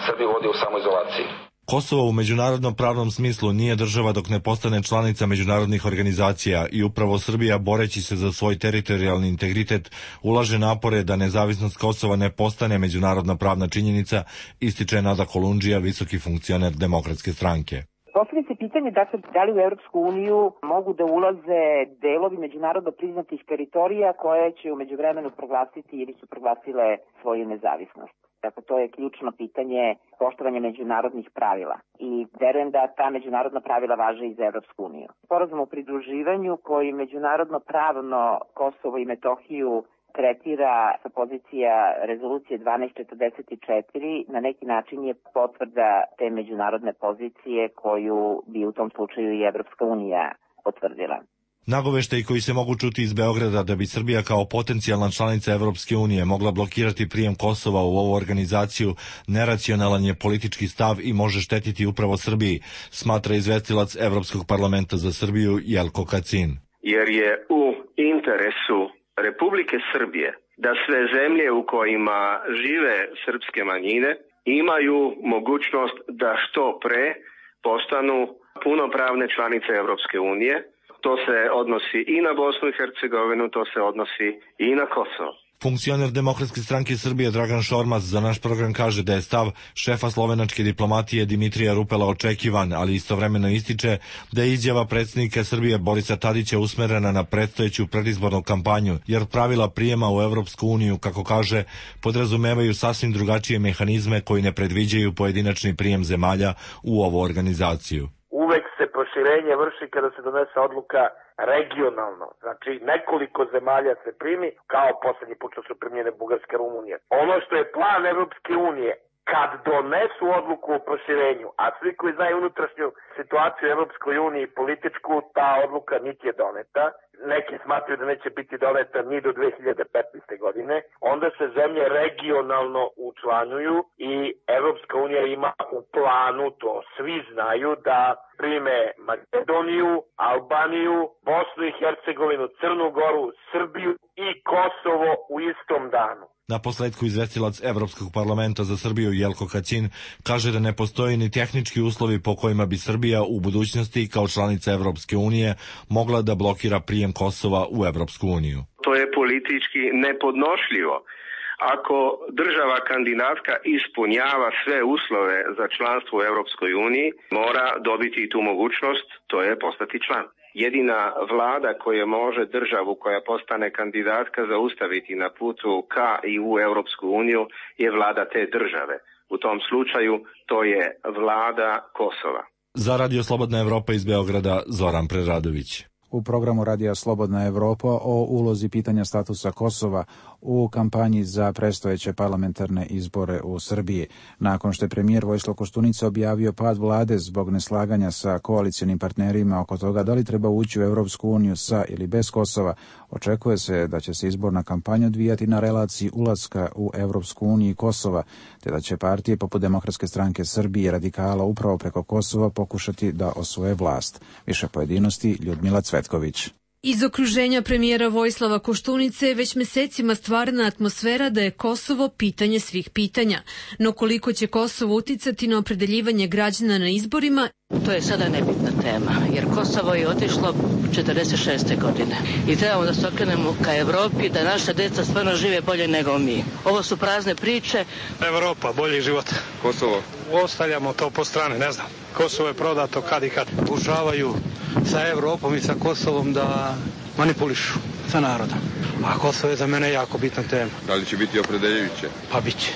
Srbiju vodi u samoizolaciji. Kosovo u međunarodnom pravnom smislu nije država dok ne postane članica međunarodnih organizacija i upravo Srbija, boreći se za svoj teritorijalni integritet, ulaže napore da nezavisnost Kosova ne postane međunarodna pravna činjenica, ističe Nada Kolundžija, visoki funkcioner Demokratske stranke. Postavlja se pitanje da li u Europsku uniju mogu da ulaze delovi međunarodno priznatih teritorija koje će u međuvremenu proglasiti ili su proglasile svoju nezavisnost. Dakle, to je ključno pitanje poštovanja međunarodnih pravila i verujem da ta međunarodna pravila važe i za Evropsku uniju. Sporazum o pridruživanju koji međunarodno pravno Kosovo i Metohiju tretira sa pozicija rezolucije 1244 na neki način je potvrda te međunarodne pozicije koju bi u tom slučaju i Evropska unija potvrdila. Nagoveštaji koji se mogu čuti iz Beograda da bi Srbija kao potencijalna članica Evropske unije mogla blokirati prijem Kosova u ovu organizaciju neracionalan je politički stav i može štetiti upravo Srbiji, smatra izvestilac Evropskog parlamenta za Srbiju Jelko Kacin. Jer je u interesu Republike Srbije da sve zemlje u kojima žive srpske manjine imaju mogućnost da što pre postanu punopravne članice Evropske unije. To se odnosi i na Bosnu i Hercegovinu, to se odnosi i na Kosovo. Funkcioner Demokratske stranke Srbije Dragan Šormaz za naš program kaže da je stav šefa slovenačke diplomatije Dimitrija Rupela očekivan, ali istovremeno ističe da je izjava predsjednika Srbije Borisa Tadića usmerena na predstojeću predizbornu kampanju, jer pravila prijema u Evropsku uniju, kako kaže, podrazumevaju sasvim drugačije mehanizme koji ne predviđaju pojedinačni prijem zemalja u ovu organizaciju. Uvek se proširenje vrši kada se donese odluka regionalno. Znači, nekoliko zemalja se primi, kao poslednji put što su primljene Bugarska i Rumunija. Ono što je plan Evropske unije, kad donesu odluku o proširenju, a svi koji znaju unutrašnju situaciju u Evropskoj uniji političku, ta odluka niti je doneta, neki smatruju da neće biti doneta ni do 2015. godine, onda se zemlje regionalno učlanjuju i Evropska unija ima u planu, to svi znaju, da prime Makedoniju, Albaniju, Bosnu i Hercegovinu, Crnu Goru, Srbiju i Kosovo u istom danu. Na posledku izvestilac Evropskog parlamenta za Srbiju Jelko Kacin kaže da ne postoji ni tehnički uslovi po kojima bi Srbija u budućnosti kao članica Evropske unije mogla da blokira prijem Kosova u Evropsku uniju. To je politički nepodnošljivo. Ako država kandidatka ispunjava sve uslove za članstvo u Evropskoj uniji, mora dobiti i tu mogućnost, to je postati član. Jedina vlada koja može državu koja postane kandidatka zaustaviti na putu ka i u Evropsku uniju je vlada te države. U tom slučaju to je vlada Kosova. Za Radio Slobodna Evropa iz Beograda, Zoran Preradović. U programu Radija Slobodna Evropa o ulozi pitanja statusa Kosova u kampanji za predstojeće parlamentarne izbore u Srbiji. Nakon što je premijer Vojislav Koštunica objavio pad vlade zbog neslaganja sa koalicionim partnerima oko toga da li treba ući u Evropsku uniju sa ili bez Kosova, očekuje se da će se izborna kampanja odvijati na relaciji ulaska u Evropsku uniju i Kosova, te da će partije poput Demokratske stranke Srbije i Radikala upravo preko Kosova pokušati da osvoje vlast. Više pojedinosti Ljudmila Cvetković. Iz okruženja premijera Vojislava Koštunice već mesecima stvarna atmosfera da je Kosovo pitanje svih pitanja. No koliko će Kosovo uticati na opredeljivanje građana na izborima? To je sada nebitna tema, jer Kosovo je otišlo 46. godine. I trebamo da se okrenemo ka Evropi, da naša deca stvarno žive bolje nego mi. Ovo su prazne priče. Evropa, bolji život. Kosovo. Ostavljamo to po strane, ne znam. Kosovo je prodato kad i kad. Pokušavaju sa Evropom i sa Kosovom da manipulišu sa narodom. A Kosovo je za mene jako bitna tema. Da li će biti opredeljujuće? Pa biće.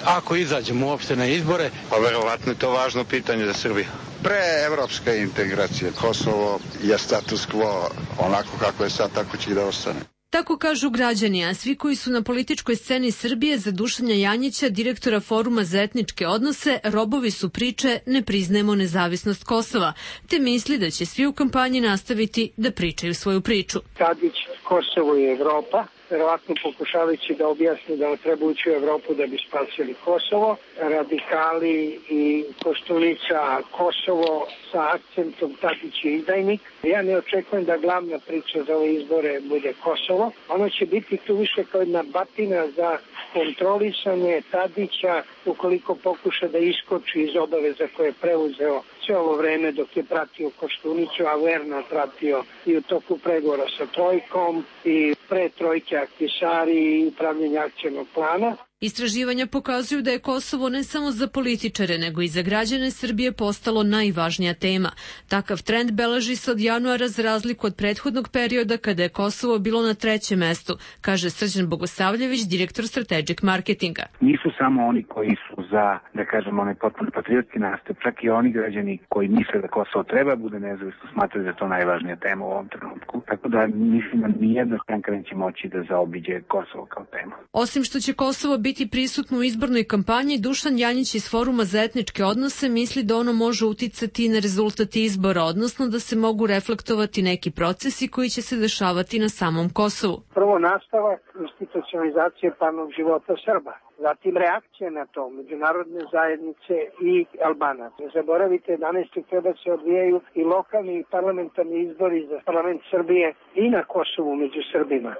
Ako izađemo uopšte na izbore, pa verovatno je to važno pitanje za Srbiju. Pre evropska integracija Kosovo je status quo, onako kako je sad, tako će i da ostane. Tako kažu građani, a svi koji su na političkoj sceni Srbije za Dušana Janjića, direktora Foruma za etničke odnose, robovi su priče ne priznajemo nezavisnost Kosova, te misli da će svi u kampanji nastaviti da pričaju svoju priču. Tadić, Kosovo i Evropa, verovatno pokušavajući da objasni da treba ući u Evropu da bi spasili Kosovo. Radikali i Koštunica Kosovo sa akcentom Tadić je izdajnik. Ja ne očekujem da glavna priča za ove izbore bude Kosovo. Ono će biti tu više kao jedna batina za kontrolisanje Tadića ukoliko pokuša da iskoči iz obaveza koje je preuzeo sve ovo vreme dok je pratio Koštunicu, a verno pratio i u toku pregovora sa Trojkom i pre Trojke Aktisari i upravljanja akcionog plana. Istraživanja pokazuju da je Kosovo ne samo za političare, nego i za građane Srbije postalo najvažnija tema. Takav trend beleži se od januara za razliku od prethodnog perioda kada je Kosovo bilo na 3. mestu, kaže Srđan Bogosavljević, direktor strategic marketinga. Nisu samo oni koji su za, da kažemo, onaj potpuno patriotski nastup, čak i oni građani koji misle da Kosovo treba bude nezavisno, smatraju da je to najvažnija tema u ovom trenutku. Tako da mislim da nijedna stranka neće moći da zaobiđe Kosovo kao tema. Osim što će Kosovo biti prisutno u izbornoj kampanji, Dušan Janjić iz Foruma za etničke odnose misli da ono može uticati na rezultat izbora, odnosno da se mogu reflektovati neki procesi koji će se dešavati na samom Kosovu. Prvo nastavak institucionalizacije pravnog života Srba. Zatim reakcija na to međunarodne zajednice i Albanaca. Ne zaboravite, 11. oktobra se odvijaju i lokalni i parlamentarni izbori za parlament Srbije i na Kosovu među Srbima.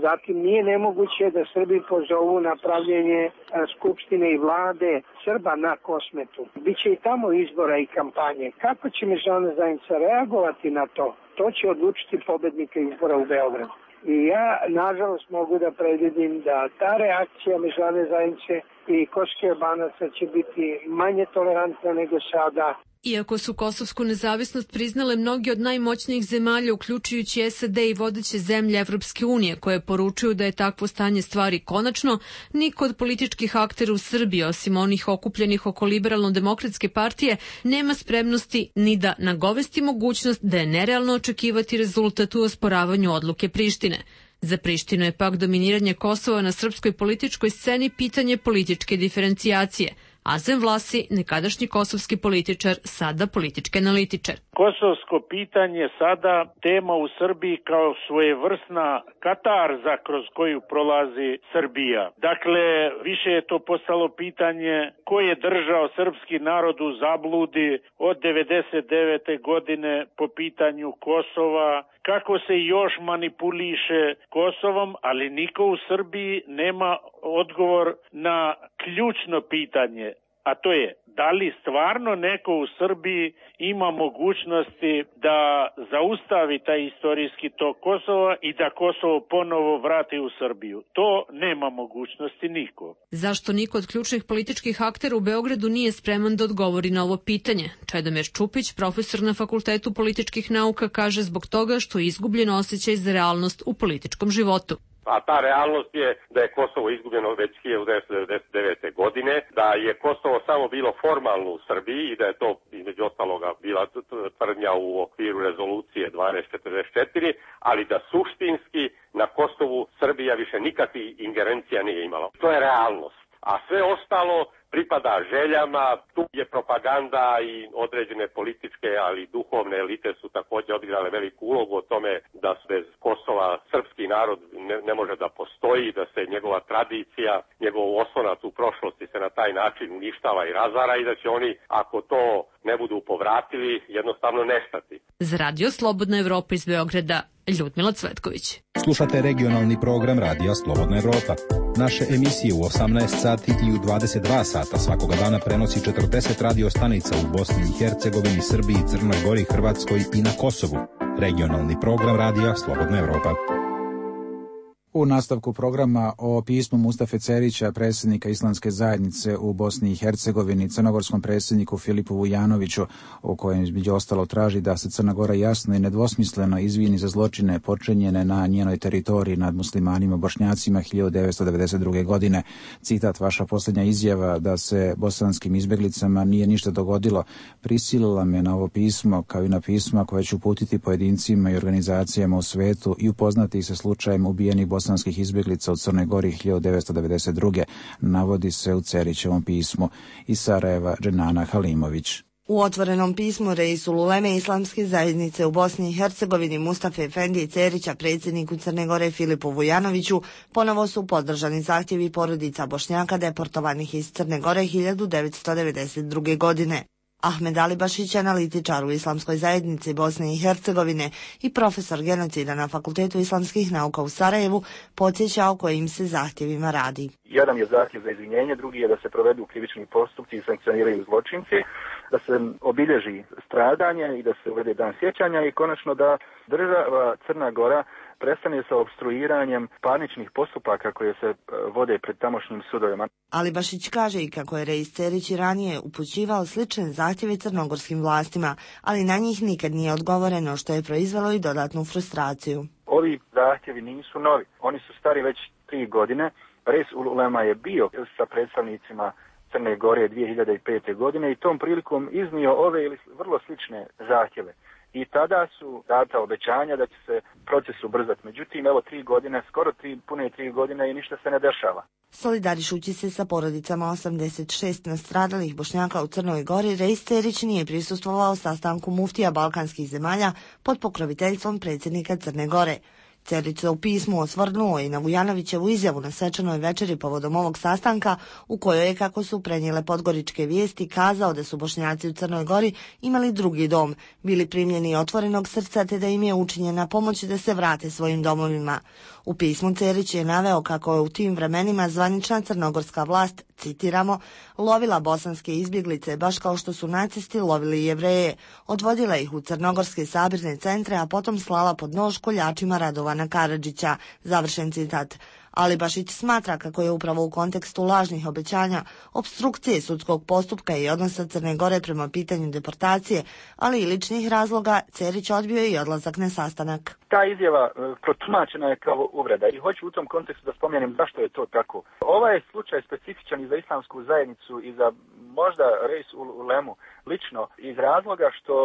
Zatim nije nemoguće da Srbi pozovu na pravljenje skupštine i vlade Srba na Kosmetu. Biće i tamo izbora i kampanje. Kako će međunarodna zajednica reagovati na to? To će odlučiti pobednika izbora u Beogradu. I ja, nažalost, mogu da predvidim da ta reakcija međunarodne zajednice i kosovskih Albanaca će biti manje tolerantna nego sada. Iako su kosovsku nezavisnost priznale mnogi od najmoćnijih zemalja, uključujući SAD i vodeće zemlje Evropske unije, koje poručuju da je takvo stanje stvari konačno, niko od političkih aktera u Srbiji, osim onih okupljenih oko Liberalno-demokratske partije, nema spremnosti ni da nagovesti mogućnost da je nerealno očekivati rezultat u osporavanju odluke Prištine. Za Prištinu je pak dominiranje Kosova na srpskoj političkoj sceni pitanje političke diferencijacije. Azem Vlasi, nekadašnji kosovski političar, sada politički analitičar. Kosovsko pitanje sada tema u Srbiji kao svojevrsna katarza kroz koju prolazi Srbija. Dakle, više je to postalo pitanje ko je držao srpski narod u zabludi od 99. godine po pitanju Kosova, kako se još manipuliše Kosovom, ali niko u Srbiji nema odgovor na ključno pitanje, a to je da li stvarno neko u Srbiji ima mogućnosti da zaustavi taj istorijski tok Kosova i da Kosovo ponovo vrati u Srbiju. To nema mogućnosti niko. Zašto niko od ključnih političkih aktera u Beogradu nije spreman da odgovori na ovo pitanje? Čedomir Čupić, profesor na Fakultetu političkih nauka, kaže zbog toga što je izgubljen osjećaj za realnost u političkom životu. A ta realnost je da je Kosovo izgubljeno već 1999. godine, da je Kosovo samo bilo formalno u Srbiji i da je to između ostaloga bila tvrdnja u okviru rezolucije 1244, ali da suštinski na Kosovu Srbija više nikakvih ingerencija nije imala. To je realnost. A sve ostalo pripada željama, tu je propaganda i određene političke, ali i duhovne elite su također odigrale veliku ulogu o tome da bez Kosova srpski narod ne može da postoji, da se njegova tradicija, njegov oslonac u prošlosti se na taj način uništava i razara i da će oni, ako to ne budu povratili, jednostavno nestati. Za Radio Slobodna Evropa iz Beograda, Ljudmila Cvetković. Slušate regionalni program Radija Slobodna Evropa. Naše emisije u 18 sati i u 22 sata svakoga dana prenosi 40 radio stanica u Bosni i Hercegovini, Srbiji, Crnoj Gori, Hrvatskoj i na Kosovu. Regionalni program Radija Slobodna Evropa. U nastavku programa o pismu Mustafe Cerića, predsjednika Islamske zajednice u Bosni i Hercegovini, crnogorskom predsjedniku Filipu Vujanoviću, u kojem između ostalo traži da se Crna Gora jasno i nedvosmisleno izvini za zločine počinjene na njenoj teritoriji nad muslimanima Bošnjacima 1992. godine. Citat: vaša posljednja izjava da se bosanskim izbjeglicama nije ništa dogodilo prisilila me na ovo pismo, kao i na pisma koje ću uputiti pojedincima i organizacijama u svetu i upoznati se slučajem ubijenih bosanskih izbjeglica u Crnoj Gori 1992. navodi se u Cerićevom pismu. Iz Sarajeva, Dženana Halimović. U otvorenom pismu Reisul Uleme Islamske zajednice u Bosni i Hercegovini Mustafe Efendije Cerića, predsjedniku Crne Gore Filipu Vujanoviću, ponovo su podržani zahtjevi porodica Bošnjaka deportovanih iz Crne Gore 1992. godine. Ahmed Alibašić, analitičar u Islamskoj zajednici Bosne i Hercegovine i profesor genocida na Fakultetu islamskih nauka u Sarajevu, podsjeća o kojim se zahtjevima radi. Jedan je zahtjev za izvinjenje, drugi je da se provedu krivični postupci i sankcioniraju zločinci, da se obilježi stradanje i da se uvede dan sjećanja i konačno da država Crna Gora prestane sa opstruiranjem parničnih postupaka koje se vode pred tamošnjim sudovima. Alibašić kaže i kako je Reis Cerić i ranije upućivao slične zahtjeve crnogorskim vlastima, ali na njih nikad nije odgovoreno, što je proizvelo i dodatnu frustraciju. Ovi zahtjevi nisu novi, oni su stari već 3 godine. Reis ulema je bio sa predstavnicima Crne Gore 2005. godine i tom prilikom iznio ove ili vrlo slične zahtjeve. I tada su data obećanja da će se proces ubrzati. Međutim, evo 3 godine, skoro pune 3 godine i ništa se ne dešava. Solidarišući se sa porodicama 86 nastradalih Bošnjaka u Crnoj Gori, Reis Cerić nije prisustvovao sastanku muftija balkanskih zemalja pod pokroviteljstvom predsjednika Crne Gore. Cerić se u pismu osvrnuo i na Vujanovićevu izjavu na svečanoj večeri povodom ovog sastanka, u kojoj je, kako su prenijele podgoričke vijesti, kazao da su Bošnjaci u Crnoj Gori imali drugi dom, bili primljeni otvorenog srca te da im je učinjena pomoć da se vrate svojim domovima. U pismu Cerić je naveo kako je u tim vremenima zvanična crnogorska vlast, citiramo, lovila bosanske izbjeglice baš kao što su nacisti lovili Jevreje, odvodila ih u crnogorske sabirne centre, a potom slala pod nož koljačima Radovana Karadžića, završen citat. Alibašić smatra kako je upravo u kontekstu lažnih obećanja, opstrukcije sudskog postupka i odnosa Crne Gore prema pitanju deportacije, ali i ličnih razloga, Cerić odbio i odlazak na sastanak. Ta izjava protumačena je kao uvreda i hoću u tom kontekstu da spomenem zašto je to tako. Ovaj je slučaj specifičan i za islamsku zajednicu i za možda Reis ulemu lično iz razloga što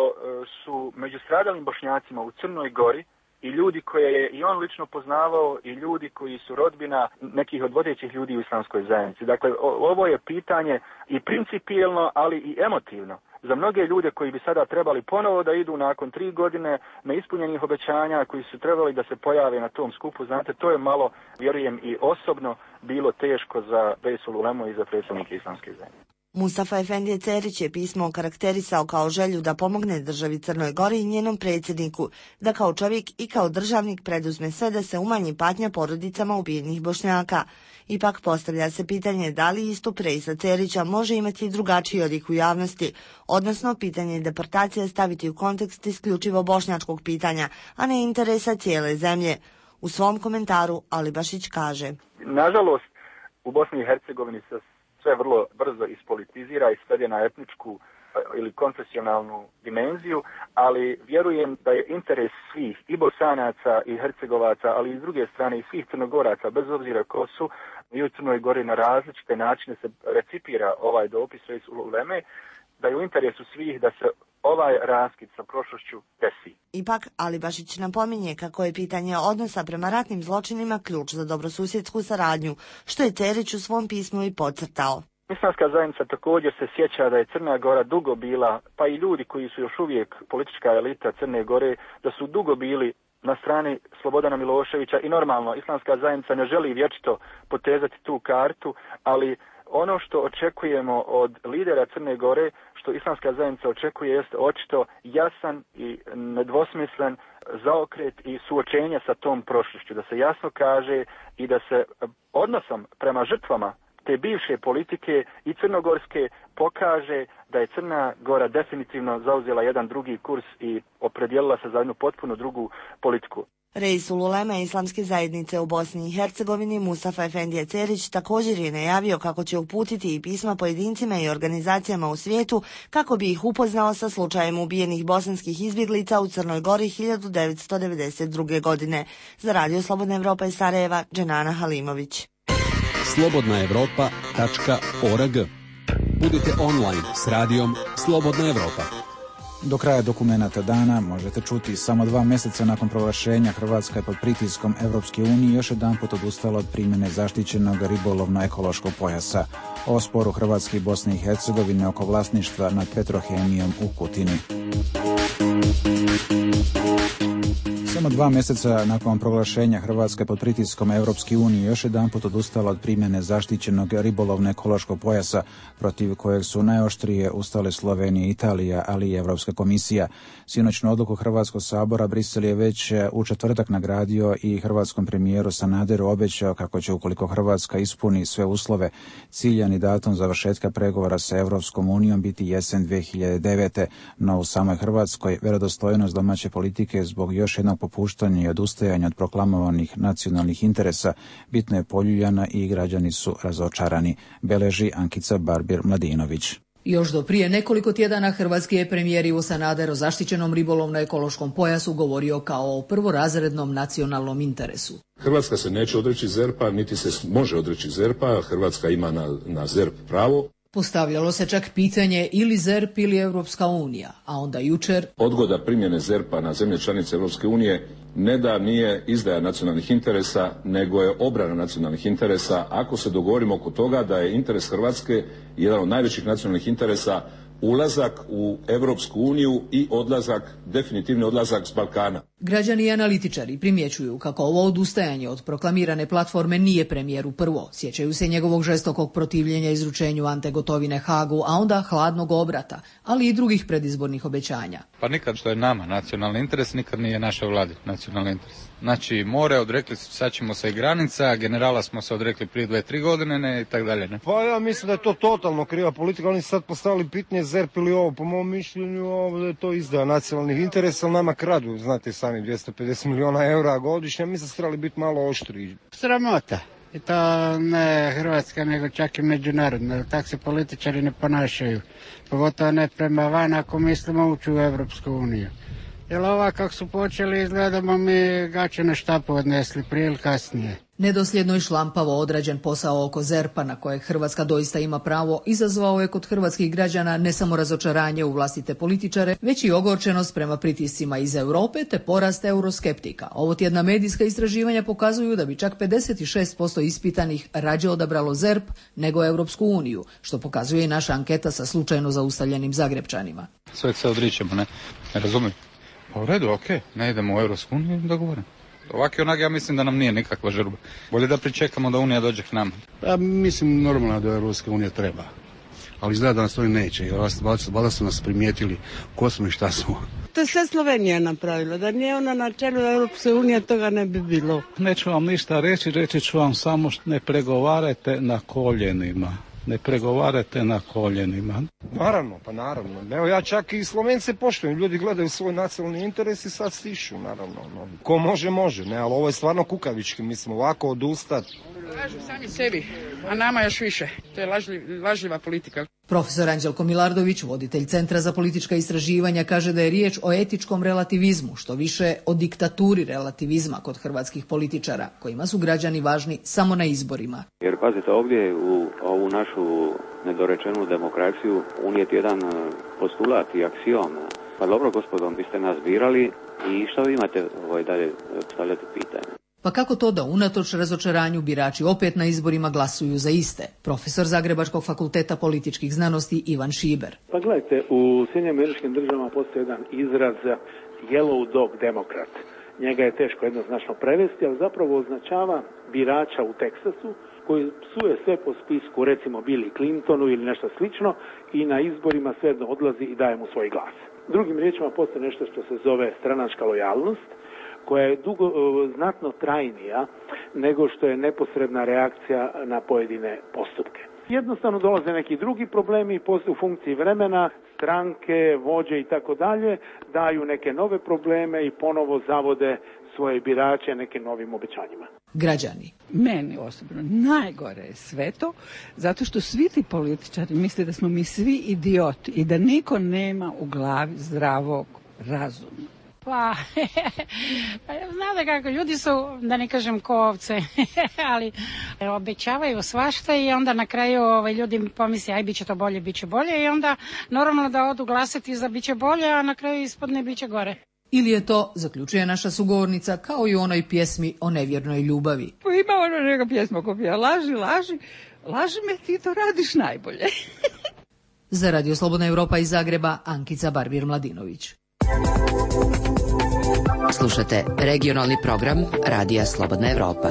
su među stradalim Bošnjacima u Crnoj Gori i ljudi koje je i on lično poznavao i ljudi koji su rodbina nekih od vodećih ljudi u islamskoj zajednici. Dakle, ovo je pitanje i principijelno, ali i emotivno. Za mnoge ljude koji bi sada trebali ponovo da idu nakon 3 godine neispunjenih obećanja, koji su trebali da se pojave na tom skupu, znate, to je malo, vjerujem i osobno, bilo teško za Reis ulemu i za predsjednike islamske zajednice. Mustafa Efendije Cerić je pismo okarakterisao kao želju da pomogne državi Crnoj Gori i njenom predsjedniku, da kao čovjek i kao državnik preduzme sve da se umanji patnja porodicama ubijenih Bošnjaka. Ipak postavlja se pitanje da li istup Reisa Cerića može imati drugačiji odjek u javnosti, odnosno pitanje deportacije staviti u kontekst isključivo bošnjačkog pitanja, a ne interesa cijele zemlje. U svom komentaru Alibašić kaže: nažalost, u Bosni i Hercegovini se sve vrlo brzo ispolitizira i svede na etničku ili konfesionalnu dimenziju, ali vjerujem da je interes svih i Bosanaca i Hercegovaca, ali i s druge strane i svih Crnogoraca, bez obzira ko su, i u Crnoj Gori na različite načine se recipira ovaj dopis Reis uleme, da je u interesu svih da se ovaj raskid sa prošlošću desi. Ipak, Alibašić napominje kako je pitanje odnosa prema ratnim zločinima ključ za dobrosusjedsku saradnju, što je Cerić u svom pismu i podcrtao. Islamska zajednica također se sjeća da je Crna Gora dugo bila, pa i ljudi koji su još uvijek politička elita Crne Gore, da su dugo bili na strani Slobodana Miloševića i normalno, islamska zajednica ne želi vječito potezati tu kartu, ali ono što očekujemo od lidera Crne Gore, što islamska zajednica očekuje, jest očito jasan i nedvosmislen zaokret i suočenje sa tom prošlošću, da se jasno kaže i da se odnosom prema žrtvama te bivše politike i crnogorske pokaže da je Crna Gora definitivno zauzela jedan drugi kurs i opredijelila se za jednu potpuno drugu politiku. Reis uleme islamske zajednice u Bosni i Hercegovini Mustafa Efendije Cerić također je najavio kako će uputiti i pisma pojedincima i organizacijama u svijetu kako bi ih upoznao sa slučajem ubijenih bosanskih izbjeglica u Crnoj Gori 1992. godine. Za Radio Slobodna Evropa iz Sarajeva, Dženana Halimović. slobodnaevropa.org. Budite online s radijom Slobodna Evropa. Do kraja dokumenata dana možete čuti samo 2 mjeseca nakon proglašenja Hrvatska je pod pritiskom Evropske unije još jedanput odustala od primjene zaštićenog ribolovno-ekološkog pojasa. O sporu Hrvatske i Bosne i Hercegovine oko vlasništva nad Petrohemijom u Kutini. Samo 2 mjeseca nakon proglašenja Hrvatske pod pritiskom Evropske unije još jedanput odustala od primjene zaštićenog ribolovno-ekološkog pojasa protiv kojeg su najoštrije ustale Slovenija i Italija, ali i Evropska komisija. Sinoćnu odluku Hrvatskog sabora Brisel je već u četvrtak nagradio i hrvatskom premijeru Sanaderu obećao kako će, ukoliko Hrvatska ispuni sve uslove, ciljani datum završetka pregovora sa Evropskom unijom biti jesen 2009. No u samoj Hrvatskoj vjerodostojnost domaće politike zbog još jednog opuštanje i odustajanje od proklamovanih nacionalnih interesa bitno je poljuljana i građani su razočarani, beleži Ankica Barbir-Mladinović. Još do prije nekoliko tjedana hrvatski je premijer Ivo Sanader o zaštićenom ribolovno-ekološkom pojasu govorio kao o prvorazrednom nacionalnom interesu. Hrvatska se neće odreći ZERP-a, niti se može odreći ZERP-a, Hrvatska ima na ZERP pravo. Postavljalo se čak pitanje ili ZERP ili Europska unija, a onda jučer... Odgoda primjene ZERP-a na zemlje članice Europske unije ne da nije izdaja nacionalnih interesa, nego je obrana nacionalnih interesa, ako se dogovorimo oko toga da je interes Hrvatske jedan od najvećih nacionalnih interesa ulazak u Europsku uniju i definitivni odlazak s Balkana. Građani i analitičari primjećuju kako ovo odustajanje od proklamirane platforme nije premijeru prvo. Sjećaju se njegovog žestokog protivljenja izručenju Ante Gotovine Hagu, a onda hladnog obrata, ali i drugih predizbornih obećanja. Pa nikad što je nama nacionalni interes, nikad nije naša vladi nacionalni interes. Znači, more, odrekli sad ćemo se i granica, generala smo se odrekli prije 2-3 godine, ne, i tak dalje, ne. Pa ja mislim da je to totalno kriva politika, oni su sad postavili pitanje ZERP ili ovo, po mom mišljenju da je to izdaja nacionalnih interesa, ali nama kradu, znate sami, 250 milijuna eura godišnje, mi se trebali biti malo oštriji. Sramota. I to ne Hrvatska, nego čak i međunarodno. Tako se političari ne ponašaju. Pogotovo ne prema van ako mislimo ući u Europsku uniju. Jer ova kako su počeli izgledamo mi gaće na štapu odnesli prije ili kasnije. Nedosljedno i šlampavo odrađen posao oko ZERP-a na kojeg Hrvatska doista ima pravo izazvao je kod hrvatskih građana ne samo razočaranje u vlastite političare, već i ogorčenost prema pritiscima iz Europe te porast euroskeptika. Ovo tjedna medijska istraživanja pokazuju da bi čak 56% ispitanih rađe odabralo ZERP nego Europsku uniju, što pokazuje i naša anketa sa slučajno zaustavljenim Zagrepčanima. Sve se odričemo, ne razumijem. Pa u redu, okej, ne idemo u Europsku uniju, dogovorim. Ovak i onak ja mislim da nam nije nikakva žurba. Bolje da pričekamo da Unija dođe k nama. Ja mislim normalno da Europska unija treba. Ali izgleda da nas to neće. Jer valjda su nas primijetili ko smo i šta smo. To je sve Slovenija napravila. Da nije ona na čelu Europske unije, toga ne bi bilo. Neću vam ništa reći ću vam samo ne pregovarajte na koljenima. Ne pregovarate na koljenima. Naravno, pa naravno. Evo ja čak i Slovence poštujem. Ljudi gledaju svoj nacionalni interes i sad stišu, naravno. Ko može, može. Ne, ali ovo je stvarno kukavički. Mislim, ovako odustati. Lažu sami sebi, a nama još više. To je lažljiva politika. Profesor Anđelko Milardović, voditelj Centra za politička istraživanja, kaže da je riječ o etičkom relativizmu, što više o diktaturi relativizma kod hrvatskih političara, kojima su građani važni samo na izborima. Jer pazite, ovdje u ovu našu nedorečenu demokraciju unijeti jedan postulat i aksiom. Pa dobro, gospodo, vi ste nas birali i što vi imate dalje postavljati pitanje? Pa kako to da unatoč razočaranju birači opet na izborima glasuju za iste? Profesor Zagrebačkog fakulteta političkih znanosti Ivan Šiber. Pa gledajte, u Sjedinjenim Američkim Državama postoji jedan izraz yellow dog demokrat. Njega je teško jednoznačno prevesti, ali zapravo označava birača u Teksasu koji psuje sve po spisku, recimo Billy Clintonu ili nešto slično, i na izborima svejedno odlazi i daje mu svoj glas. Drugim riječima postoji nešto što se zove stranačka lojalnost, koja je znatno trajnija nego što je neposredna reakcija na pojedine postupke. Jednostavno dolaze neki drugi problemi i postoje u funkciji vremena, stranke, vođe i tako dalje, daju neke nove probleme i ponovo zavode svoje birače nekim novim obećanjima. Građani. Meni osobno najgore je sve to, zato što svi ti političari misle da smo mi svi idioti i da niko nema u glavi zdravog razuma. Pa, znate kako, ljudi su, da ne kažem ko ovce, ali obećavaju svašta i onda na kraju ljudi pomisle aj bit će to bolje, bit će bolje i onda normalno da odu glasati za bit će bolje, a na kraju ispadne bit će gore. Ili je to, zaključuje naša sugovornica, kao i u onoj pjesmi o nevjernoj ljubavi. Pa ima ono neka pjesma ko pija, laži me, ti to radiš najbolje. Za Radio Slobodna Europa iz Zagreba, Ankica Barbir-Mladinović. Slušate regionalni program Radija Slobodna Europa.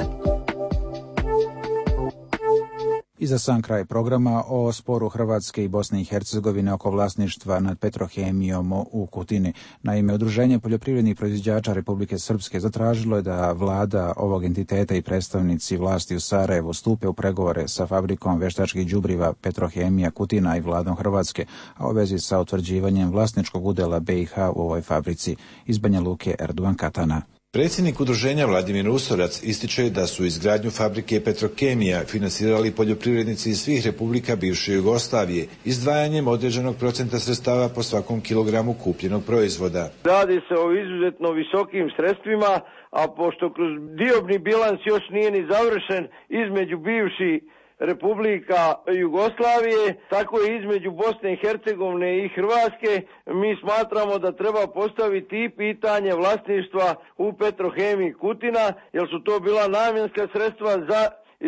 I za sam kraj programa o sporu Hrvatske i Bosne i Hercegovine oko vlasništva nad Petrohemijom u Kutini. Naime, Udruženje poljoprivrednih proizvođača Republike Srpske zatražilo je da vlada ovog entiteta i predstavnici vlasti u Sarajevu stupe u pregovore sa fabrikom veštačkih đubriva Petrohemija Kutina i vladom Hrvatske, a u vezi sa utvrđivanjem vlasničkog udjela BiH u ovoj fabrici. Iz Banja Luke, Erdogan Katana. Predsjednik udruženja Vladimir Usorac ističe da su izgradnju fabrike Petrokemija finansirali poljoprivrednici iz svih republika bivše Jugoslavije, izdvajanjem određenog procenta sredstava po svakom kilogramu kupljenog proizvoda. Radi se o izuzetno visokim sredstvima, a pošto kroz diobni bilans još nije ni završen između bivših Republika Jugoslavije, tako je između Bosne i Hercegovine i Hrvatske, mi smatramo da treba postaviti i pitanje vlasništva u Petrohemiji Kutina, jer su to bila namjenska sredstva za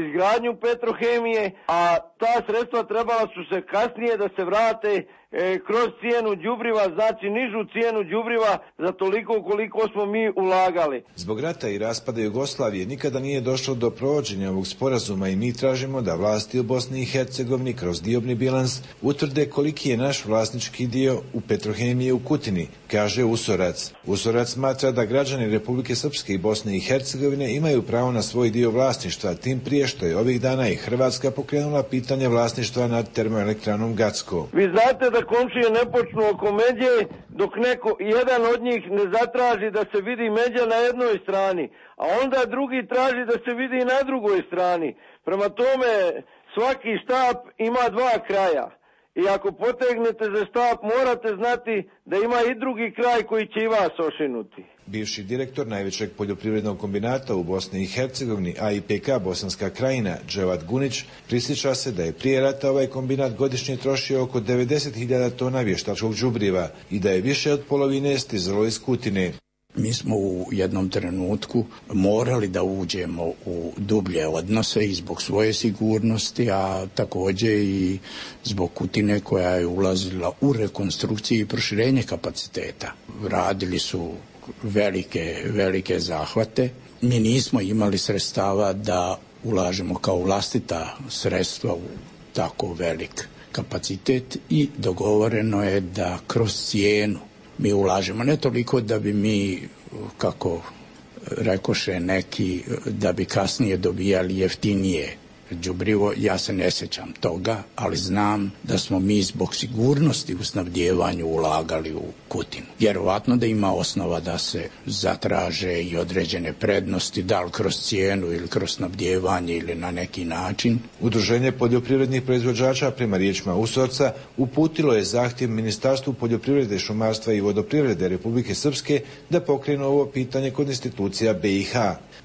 izgradnju Petrohemije, a ta sredstva trebala su se kasnije da se vrate kroz cijenu đubriva, znači nižu cijenu đubriva za toliko koliko smo mi ulagali. Zbog rata i raspada Jugoslavije nikada nije došlo do provođenja ovog sporazuma i mi tražimo da vlasti u Bosni i Hercegovini kroz diobni bilans utvrde koliki je naš vlasnički dio u Petrohemiji u Kutini, kaže Usorac. Usorac smatra da građani Republike Srpske i Bosne i Hercegovine imaju pravo na svoj dio vlasništva, tim prije što je ovih dana i Hrvatska pokrenula pitanje vlasništva nad termoelektranom Gacko. Vi znate da komšije ne počnu oko međe dok jedan od njih ne zatraži da se vidi međa na jednoj strani, a onda drugi traži da se vidi na drugoj strani. Prema tome svaki štap ima dva kraja i ako potegnete za štap morate znati da ima i drugi kraj koji će i vas ošinuti. Bivši direktor najvećeg poljoprivrednog kombinata u Bosni i Hercegovini, AIPK Bosanska krajina, Dževat Gunić, prisjeća se da je prije rata ovaj kombinat godišnje trošio oko 90.000 tona vještačkog đubriva i da je više od polovine stizalo iz Kutine. Mi smo u jednom trenutku morali da uđemo u dublje odnose i zbog svoje sigurnosti, a također i zbog Kutine koja je ulazila u rekonstrukciju i proširenje kapaciteta. Radili su velike zahvate. Mi nismo imali sredstava da ulažemo kao vlastita sredstva u tako velik kapacitet i dogovoreno je da kroz cijenu mi ulažemo, ne toliko da bi mi, kako rekoše neki, da bi kasnije dobijali jeftinije đubrivo, ja se ne sjećam toga, ali znam da smo mi zbog sigurnosti u snabdjevanju ulagali u Kutinu. Vjerovatno da ima osnova da se zatraže i određene prednosti, da li kroz cijenu ili kroz snabdjevanje ili na neki način. Udruženje poljoprivrednih proizvođača, prema riječima Usorca, uputilo je zahtjev Ministarstvu poljoprivrede, šumarstva i vodoprivrede Republike Srpske da pokrenu ovo pitanje kod institucija BiH.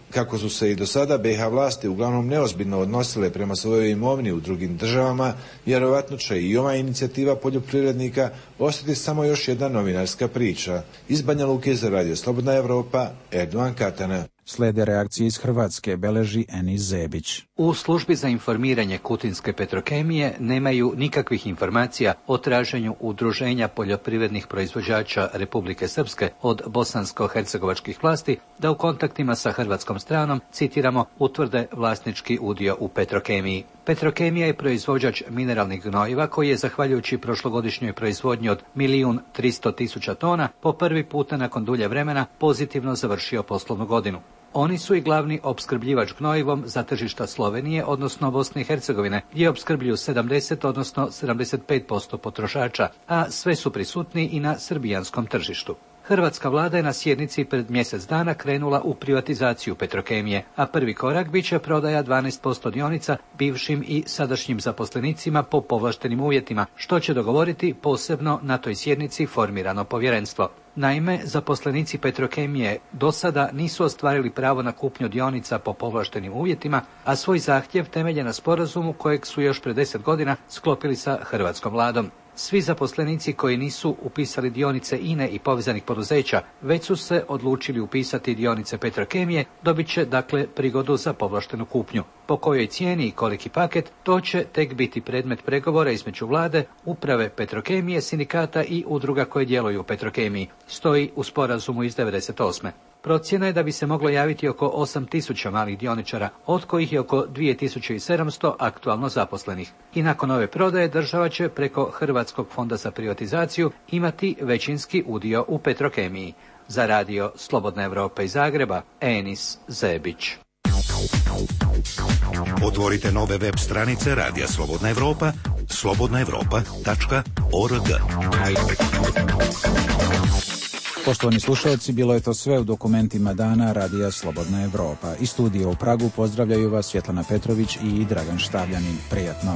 Kako su se i do sada BiH vlasti uglavnom neozbiljno odnosile prema svojoj imovini u drugim državama, vjerovatno će i ova inicijativa poljoprivrednika ostati samo još jedna novinarska priča. Iz Banja Luke za Radio Slobodna Evropa, Erdogan Katana. Slede reakcije iz Hrvatske, beleži Enis Zebić. U službi za informiranje Kutinske Petrokemije nemaju nikakvih informacija o traženju udruženja poljoprivrednih proizvođača Republike Srpske od bosansko-hercegovačkih vlasti da u kontaktima sa hrvatskom stranom, citiramo, utvrde vlasnički udio u Petrokemiji. Petrokemija je proizvođač mineralnih gnojiva koji je, zahvaljujući prošlogodišnjoj proizvodnji od 1.300.000 tona, po prvi puta nakon dulje vremena pozitivno završio poslovnu godinu. Oni su i glavni opskrbljivač gnojivom za tržišta Slovenije, odnosno Bosne i Hercegovine, gdje opskrbljuju 70, odnosno 75% potrošača, a sve su prisutni i na srbijanskom tržištu. Hrvatska vlada je na sjednici pred mjesec dana krenula u privatizaciju Petrokemije, a prvi korak bit će prodaja 12% dionica bivšim i sadašnjim zaposlenicima po povlaštenim uvjetima, što će dogovoriti posebno na toj sjednici formirano povjerenstvo. Naime, zaposlenici Petrokemije do sada nisu ostvarili pravo na kupnju dionica po povlaštenim uvjetima, a svoj zahtjev temelje na sporazumu kojeg su još pred 10 godina sklopili sa hrvatskom vladom. Svi zaposlenici koji nisu upisali dionice INE i povezanih poduzeća, već su se odlučili upisati dionice Petrokemije, dobit će dakle prigodu za povlaštenu kupnju. Po kojoj cijeni i koliki paket, to će tek biti predmet pregovora između vlade, uprave Petrokemije, sindikata i udruga koje djeluju u Petrokemiji, stoji u sporazumu iz 1998. Procjena je da bi se moglo javiti oko 8.000 malih dioničara, od kojih je oko 2.700 aktualno zaposlenih. I nakon ove prodaje država će preko Hrvatskog fonda za privatizaciju imati većinski udio u Petrokemiji. Za Radio Slobodna Evropa iz Zagreba, Enis Zebić. Otvorite nove web stranice Radija Slobodna Evropa, slobodnaevropa.org. Poštovani slušalci, bilo je to sve u dokumentima dana Radija Slobodna Evropa. Iz studija u Pragu pozdravljaju vas Svjetlana Petrović i Dragan Štavljanin. Prijatno.